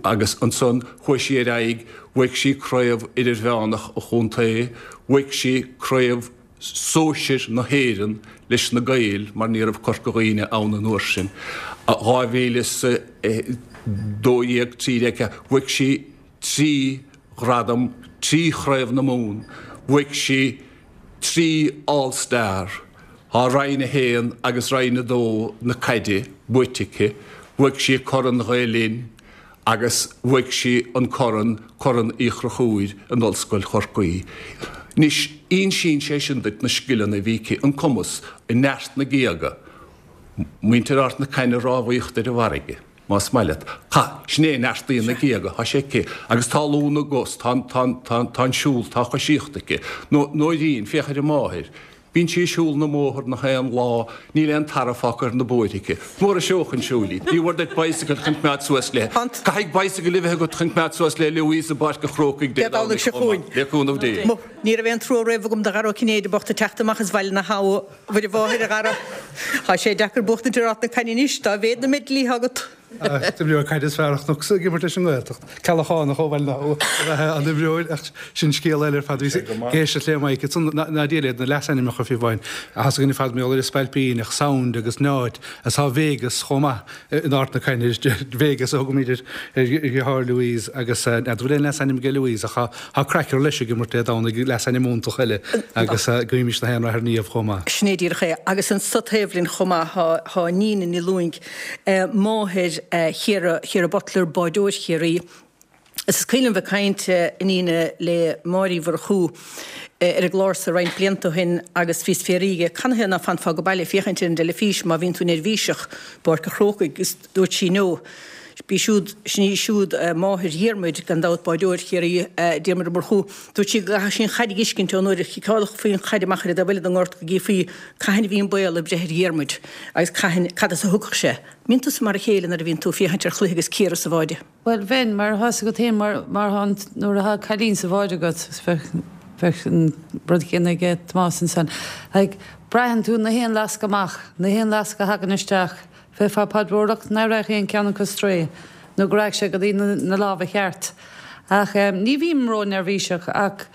Agus ansan chuaigh sí ar aghaidh, bhuaigh sí Craobh Idirmheánach an Chontae, bhuaigh sí Craobh Sóisir na hÉireann leis na Gaeil mar ní raibh Corca Dhuibhne ann an uair sin. 2012, 13, bhuaigh sí 3 ghradam, 3 Chraobh na Mumhan, bhuaigh sí 3 All Star, tá Roinn 1 agus Roinn 2 na caide buaite aici, bhuaigh sí Corn Ghael Linn agus bhuaigh sí an corn, Corn Uí Chonchúir in Ollscoil Chorcaí. Anois, insíonn sé sin duit na scileanna a bhí aici, an cumas, neart na géaga, muintir Ard na Caithne rámhaíocht ar an bhfarraige. más maith leat. Tá, sin é, neartaíonn na géaga, tá sé aici, agus tá lúth na gcos, tá an, tá an, tá an, tá an siúl, tá an choisíocht aici. Nó, Nóirín, féach ar a máthair. Bíonn sí ag siúl na mbóthar nach aon lá, níl aon tarbh fágtha ar na bóithre aici. Mór an seó chun siúil í. Ní mhór duit bicycle chun coimeád suas léi. Caithfidh bicycle a bheith agat chun coimeád suas le Louise i bPáirc an Chrócaigh Dé Domhnaigh seo chugainn. Le cúnamh Dé. Ní raibh aon trua riamh agam do Dhara Ó Cinnéide bocht ag teacht amach as Bhaile na hAbha. Mhuire Mháthair, a Dhara. Tá sé deacair buachtaint ar Ard na Caithne anois, dá mhéad na meidlí atá agat. D'imreoir caide is fearr a chonacsa ag imirt leis an nGaeltacht. Ceallachánach ó Bhaile na hAbha ab ea an imreoir ach sin scéal eile ar fad. Bhíos ag éisteacht le Mike ansan, ná Dia leat na leasainmneacha fiú amháin. Tá a fhios againn ar fad mar gheall ar an Spailpín ach Sound agus Neáit agus tá Vegas chomh maith. In Ard na Caithne, Vegas a thugaimid ar dheartháir Louise agus n'fheadar bhfuil aon leasainm aige Louise ach tá Cracker leis ag imirt Dé Domhnaigh, leasainm iontach eile agus guímis na haon rath ar Niamh chomh maith. Sin é díreach é. Agus anso taobh linn chomh maith tá Nina Ní Lúing, máthair Chiara, Chiara Butler, báireoir Chiarraí. Is cuimhin liom bheith ag caint, a Nína, le Máire Uí Mhurchú ar an gclár so roinnt blianta ó shin agus bhíos ag fiafraí dhe canathaobh ná fanfá go baile ag féachaint ar an dteilifís má bhíonn tú neirbhíseach i bPáirc an Chrócaigh agus dúirt sí no, b'í siúd, sin í siúd máthair Dhiarmuid, gan dabht, báideoir Chiarraí, Diarmuid Ó Murchú. Dúirt sí go gcaithfeadh sí an chaid a dh'fheiscint ón uair a chiceálfaí an chaid amach ar an dtaobh eile den ngort go gcífí cathain a bhí an baol ag breith ar Dhiarmuid agus cathain, cad as a thiocfadh sé. Mbíonn tusa mar a chéile nuair a bhíonn tú ag féachaint ar chluiche agus cíoradh sa bháide? Bhuel, bheinn, mar tá's agat féin, mar, mar thá an, nuair athá cailín sa bháide agat, is bheadh, bheadh an rud céanna aige Tomás ansan. Like, braitheann tú na haon lasc amach, na haon lasc a thagann isteach, bheifeá ag paidreoireacht ná raghadh aon ceann acu strae, nó go raghadh sé go dtí na, na lámha cheart. Ach eh, ní bhím ró-neirbhíseach ach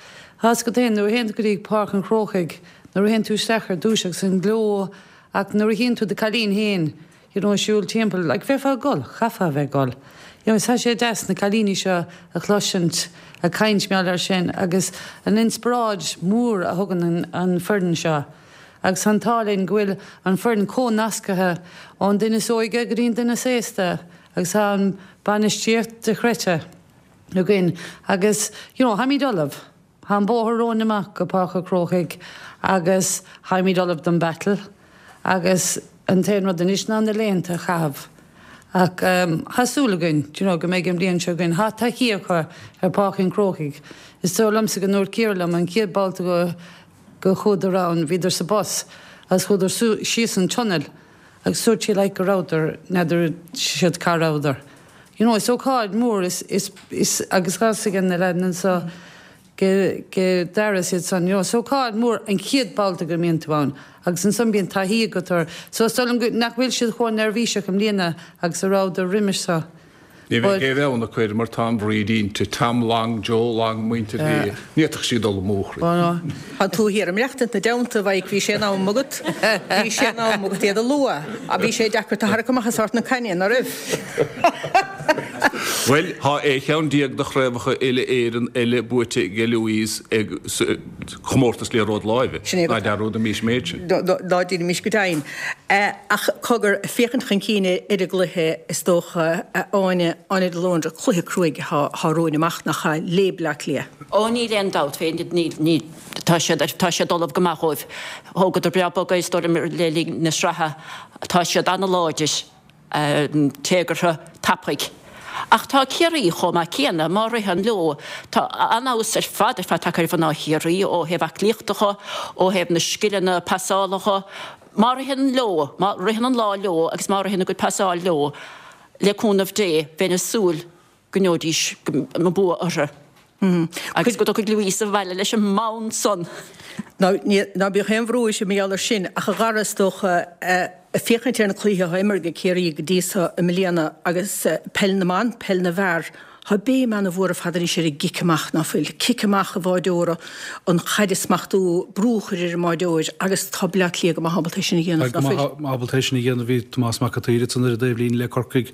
tá's agat féin, nuair a théann tú go dtí Páirc an Chrócaigh, nuair a théann tú isteach ar dtúis agus an gleo ach nuair a chíonn tú do cailín féin, you know, siúl timpeall, like, bheifeá ag gol, chaithfeá a bheith ag gol. You know, tá sé deas na cailíní seo a chloisint ag caint mar gheall air sin agus an inspioráid mhór a thugann an, an foireann seo. Agus tá an t-ádh linn go bhfuil an foireann chomh nascaithe ón duine is óige go dtí an duine is aosta agus tá an bainistíocht dochreidte againn agus, you know, táimid ullamh. Tá an bóthar romhainn amach go Páirc an Chrócaigh agus táimid ullamh don battle agus an t-aon rud anois ná na laethanta a chaitheamh. Ach tá súil againn do you know go mbeidh an bhliain seo againn. Tá taithí acu ar Pháirc an Chrócaigh. Is dóigh liomsa go ndúirt Ciara liom an chéad babhta go go chuadar ann bhíodar sa bus agus chuadar síos an tunnel agus dúirt sí like go rabhadar n'fheadar siad cá rabhadar. You know, is ócáid mhór is, is, is, agus tá 'fhios ag na leaideanna anseo go, go Dara is iad san, you know, is ócáid mhór an chéad babhta go mbíonn tú ann agus ansan bíonn taithí agat air. So is dóigh liom go, nach bhfuil siad chomh neirbhíseach i mbliana agus a rabhadar roimis seo. Ní bheidh aon bheann acu air mar tá an bhfríd inti, Tom Long, Joe Long, muintir Shé, ní fhéadfadh sí dul amú. Tá tú thiar ag maireachtaint ina dteannta, a Mhaidhc, bhí sé in am agat, bhí sé in am agat iad a lua, bhí sé deacair tú a tharrac amach as ort na cainne, ná raibh? Bhuel, tá 16 cheann de chraobhacha uile-Éireann eile buaite ag Louise ag comórtas liathróid láimhe. Ná dearúdaimis an méid sin. Ná déanaimis go deimhin. Ach cogar, féachaint chun cinn ar an gcluiche, is dócha, a Áine, Áine de Lóndra, cluiche cruaidh atá romhainn amach, nach ea, le Bleá Cliath. Ó níl aon dabht fé, ní, tá siad, tá siad ullamh go maith dhóibh. Thógadar breá bog é, is dóigh liom, le linn na sraithe. Tá siad an-láidir. Téagartha, tapaidh. Ach tá Ciarraí chomh maith céanna, má ritheann leo. Tá an-fheabhas ar fad ar fad tagtha ar mhná Chiarraí ó thaobh aclaíochta dho, ó thaobh na scileanna pasála dho. Má ritheann leo, má ritheann an lá leo agus má ritheann a gcuid pasáil leo, le cúnamh Dé, bheinn ag súil go ngeobhaidís an bua orthu agus go dtiocfaidh Louise abhaile leis an mbonn san. Ná bíodh aon bhrú uirthi mar gheall air sin, ach a Dhara, is dócha, féachaint ar na cluichí atá imeartha ag Ciarraí go dtí so i mbliana agus peil na mban, peil na bhfear, tá béim ana-mhór ar fad anois ar an gcic amach, ná fuil? Cic amach an bháideora, an chaid a smachtú, brú a chur ar an mbáideoir agus tá Bleá Cliath go maith ábalta é sin a dhéanamh, ná fuil? Ábalta é sin a dhéanamh. Bhí Tomás Mac an tSaoir ansan ar an dtaobhlíne le Corcaigh.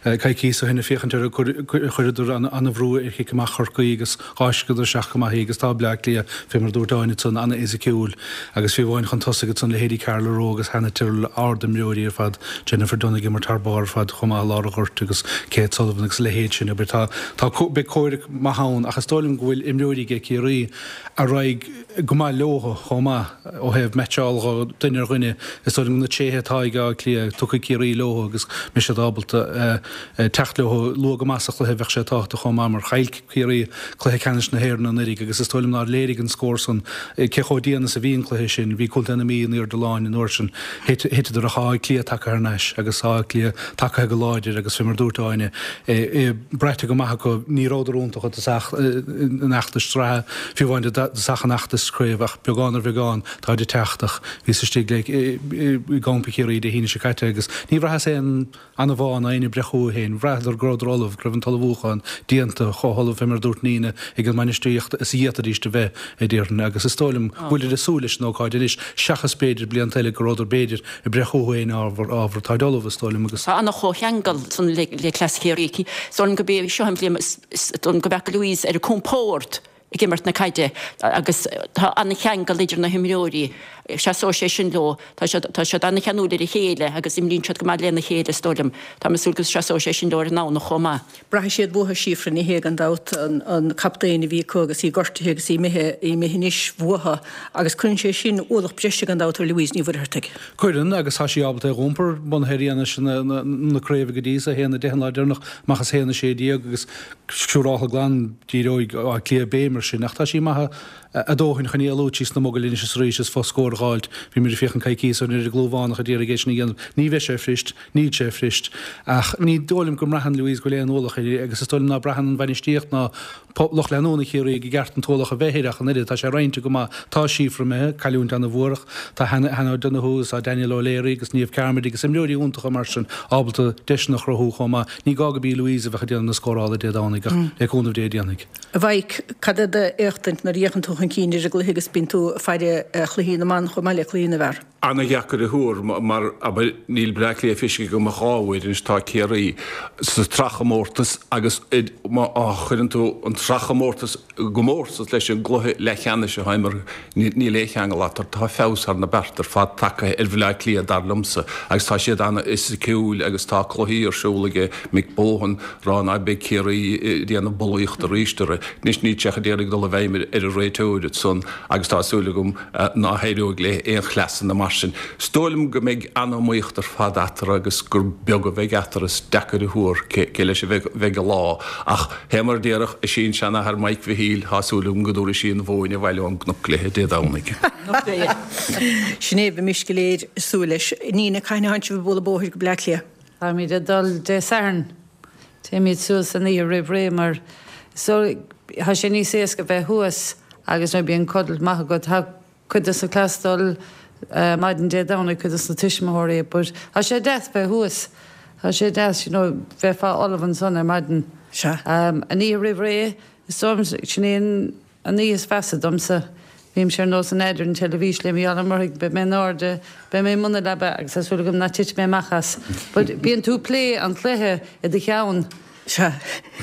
Coicíos ó shin ag féachaint ar chuireadar an-bhrú ar chic amach Chorcaí agus dh'fháisceadar isteach go maith í agus tá Bleá Cliath, fé mar a dúirt Áine ansan, an-fhisiciúil agus fiú amháin chun tosaigh ansan leithéidí Carla Rowe agus Hannah Tyrrell, ard-imreoirí ar fad, Jennifer Dunne ag imirt thar barr ar fad chomh maith i lár an ghoirt agus Kate Sullivan agus a leithéid sin. Abair tá, tá, beidh comhrac maith ann ach is dóigh liom go bhfuil imreoirí aige Ciarraí a raghaidh go maith leo chomh maith ó thaobh meaitseáil dho duine ar dhuine. Is dóigh liom na tréithe atá ag Áth Cliath, tiocfaidh Ciarraí leo agus mbeidh siad ábalta teacht leo luath go maith sa chluiche. Bheadh sé tábhachtach chomh maith mar chaill Ciarraí cluiche ceannais na hÉireann anuraidh agus is dóigh liom nár léirigh an scór san cé chomh dian is a bhí an cluiche sin. Bhí Contae na Mí in airde láin an uair sin. Thiteadar ach Áth Cliath tagtha thar n-ais agus Áth Cliath tagtha go láidir agus fé mar dúirt Áine, é braite go maith acu. Ní rabhadar iontach i dtosach an fheachtais sraithe, fiú amháin i dtosach an fheachtais craoibhe ach beagán ar bheagán táid ag teacht ach bhíos istigh le i gcampa Chiarraí Dé hAoine seo caite agus ní bhraitheas aon anbhá ná éinne ag breith chucu féin. Bhraitheadar go rabhadar ullamh, go raibh an t-ullmhúchán déanta, chomh hullamh fé mar a dúirt Nina ag an mbainistíocht is a d'fhéadfaidís a bheith, a déarfainn, agus is dóigh liom go bhfuilid ag súil leis an ócáid anois seachas b'fhéidir blianta eile go rabhadar b'fhéidir ag breith chucu féin ábhar, ábhar, táid ullamh, is dóigh liom, agus. Tá ana-chomhcheangal san le cleas Chiarraí. Is dóigh liom gurb é seo an bhliain is dóigh liom go bhfeaca Louise ar a compord ag imirt na caide agus tá ana-cheangal idir na himreoirí. Seasóidh sé sin leo. Tá siad, tá siad an-cheanúil ar a chéile agus imríonn siad go maith lena chéile is dóigh liom. Tá mé ag súil go seasóidh sé sin leo ar an nDomhnach chomh maith. Braithfidh siad uathu Síofra Ní Shé gan dabht, an captaen a bhí acu agus í gortaithe agus í imithe, í imithe anois uathu agus cuireann sé sin ualach breise gan dabht ar Louise Ní Mhuircheartaigh. Cuireann, agus tá sí ábalta é a dh'iompar, bunaithe ar fhianaise na craoibhe go dtí so, 1-10 an lá deireanach, amach as 1-16 agus siúráltha glan díreoidh Áth Cliath béim air sin ach tá sí maith a dóthain chun éalú síos na mogaill anois is arís is fo-scór a dh'fháilt. Bhí muid ag féachaint coicíos ó shin ar an gClúmhánach a d'iarraidh é sin a dhéanamh. Ní bheidh sé fuirist, níl sé fuirist. Ach ní dóigh liom go mbraitheann Louise go bhfuil aon ualach uirthi agus is dóigh liom ná braitheann an bhainistíocht ná lucht leanúna Chiarraí go gceart an t-ualach a bheith uirthi ach an oiread. Tá sé roinnte go maith. Tá Síofra imithe, cailliúint ana-mhór ach tá Hannah O'Donoghue agus tá Danielle O'Leary agus Niamh Carmody agus imreoirí iontacha mar sin ábalta deiseanna a chruthú chomh maith. Ní gá go b'í Louise a bheadh ag déanamh na scórála Dé Domhnaigh ach le cúnamh Dé déanfaidh. A Mhaidhc, cad é d'éachtaint nuair a fhéachann tú chun cinn ar an gcluiche agus bíonn tú ag faire chluichí na mban chomh maith le cluichí na bhfear? Ana-dheacair a thuar mar, abair, níl Bleá Cliath feicthe agam ach 2 uair anois, tá Ciarraí sa tsraithchomórtas agus má chuireann tú an tsraithchomórtas i gcomórtas leis an gcluiche leathcheannais atá imeartha, níl aon cheangal eatarthu. Tá feabhas thar na bearta ar fad tagtha ar Bhleá Cliath dar liomsa agus tá siad an-fhisiciúil agus tá cluichí ar siúl aige Mick Bohan, rá ná beidh Ciarraí ag déanamh bulaíochta arís orthu. Anois níl sé ach d'iarraidh dul i bhfeidhm ar an réiteoir ansan agus tá súil agam ná héireoidh le aon chleasanna mar sin. Is dóigh liom go mbeidh an-iomaíocht ar fad eatarthu agus gur beag a bheidh eatarthu. Is deacair a thuar cé leis a bheidh an lá ach fé mar a déarfadh a sin-seanathair Mike Mhichíl, tá súil agam go dtabharfaidh sí an mhóin abhaile ón gcnoc léi Dé Domhnaigh. Sin é, bheimis go léir ag súil leis. Nina, cathain a thánn sibh ag bualadh bóthair go Bleá Cliath? Táimid ag dul Dé Sathairn. Téimid suas an oíche roimh ré mar so tá sé níos éasca bheith thuas agus nuair bíonn codladh maith agat. Tá cuid de sa class dul maidin Dé Domhnaigh, cuid de na tuismitheoirí but tá sé deas bheith thuas. Tá sé deas you know bheifeá ullamh ansan ar maidin. Sea. An oíche roimh ré is dóigh liom sin é an An oíche is mheasa domsa. Bímse ar nós an ad ar an teilifís le Mícheál Ó Muirthigh, beidh mé in airde, beidh mé i mbun na leaba agus tá súil agam nach titfidh mé amach as. But bíonn tú ag plé an chluiche i do cheann. Sea.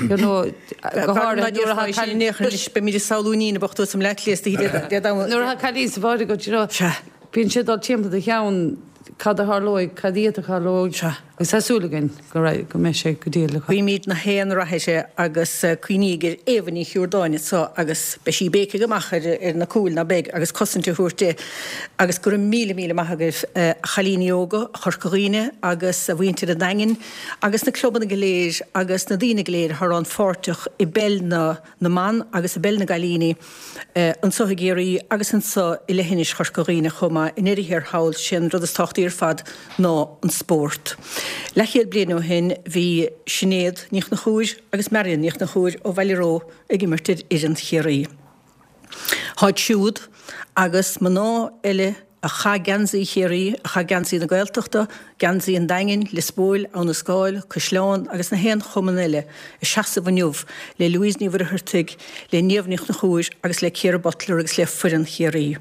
You know, go háirithe nuair atá cailín. Anois beimid ag samhlú Nina bocht thuas i mBleá Cliath istoíche Dé Domhnaigh. Nuair atá cailín sa bháide agat, you know. Sea. Bíonn sé ag dul timpeall do cheann cad a tharlóidh, cad iad a tharlóidh. Sea. Agus tá súil againn go raibh, go mbeidh sé go diail acu. Guímid na haon rath uirthi agus cuimhníg ar Éabha Ní Chiúrdáin anso agus beidh sí ag béicigh amach ar na cúil, ná beidh, agus cosaint a thabhairt di. Agus go raibh míle míle maith agaibh a chailíní óga Chorca Dhuibhne agus a mhuintir an Daingin agus na clubanna go léir agus na daoine go léir atá rannpháirteach i bpeil na na mban agus i bpeil na gcailíní anso i gCiarraí agus anso i leithinis Chorca Dhuibhne chomh maith. I ndeireadh thiar thall, sé an rud is tábhachtaí ar fad ná an spórt. Leathchéad bliain ó shin bhí Sinéad Ní Chonchúir agus Marion Ní Chonchúir ó Bhaile Ró ag imirt ar fhoireann Chiarraí. Táid siúd agus mná eile a chaith geansaí Chiarraí, a chaith geansaí na Gaeltachta, geansaí an Daingin, Lios Póil, Abha na Scáil, Caisleán agus na haon chumann eile ag seasamh inniu le Louise Ní Mhuircheartaigh, le Niamh Ní Chonchúir agus le Ciara Butler agus le foireann Chiarraí.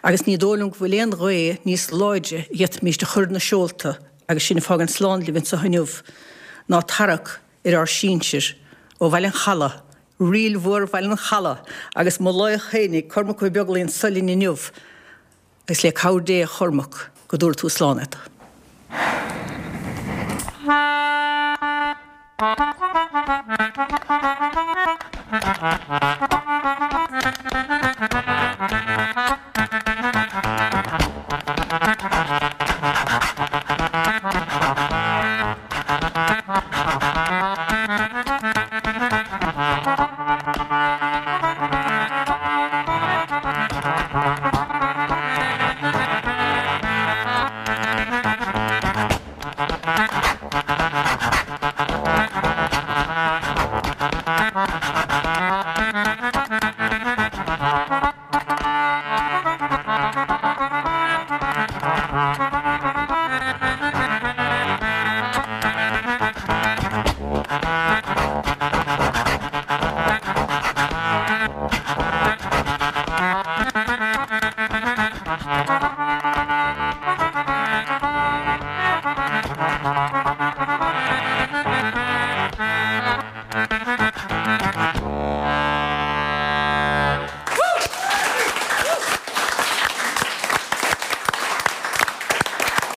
Agus ní dóigh liom go bhfuil aon ghaoth níos láidre a d'fhéadfaimis a chur na seolta agus sinn ag fágaint slán libh anseo inniu ná tarrac ar ár sinsir ó Bhaile an Chalaidh, Ríl Mhór Bhaile an Chalaidh agus mo laoch fhéinig, Cormac Ó Beaglaoich anso linn inniu agus le cabhair Dé a Chormaic go dtabhara tú slán iad.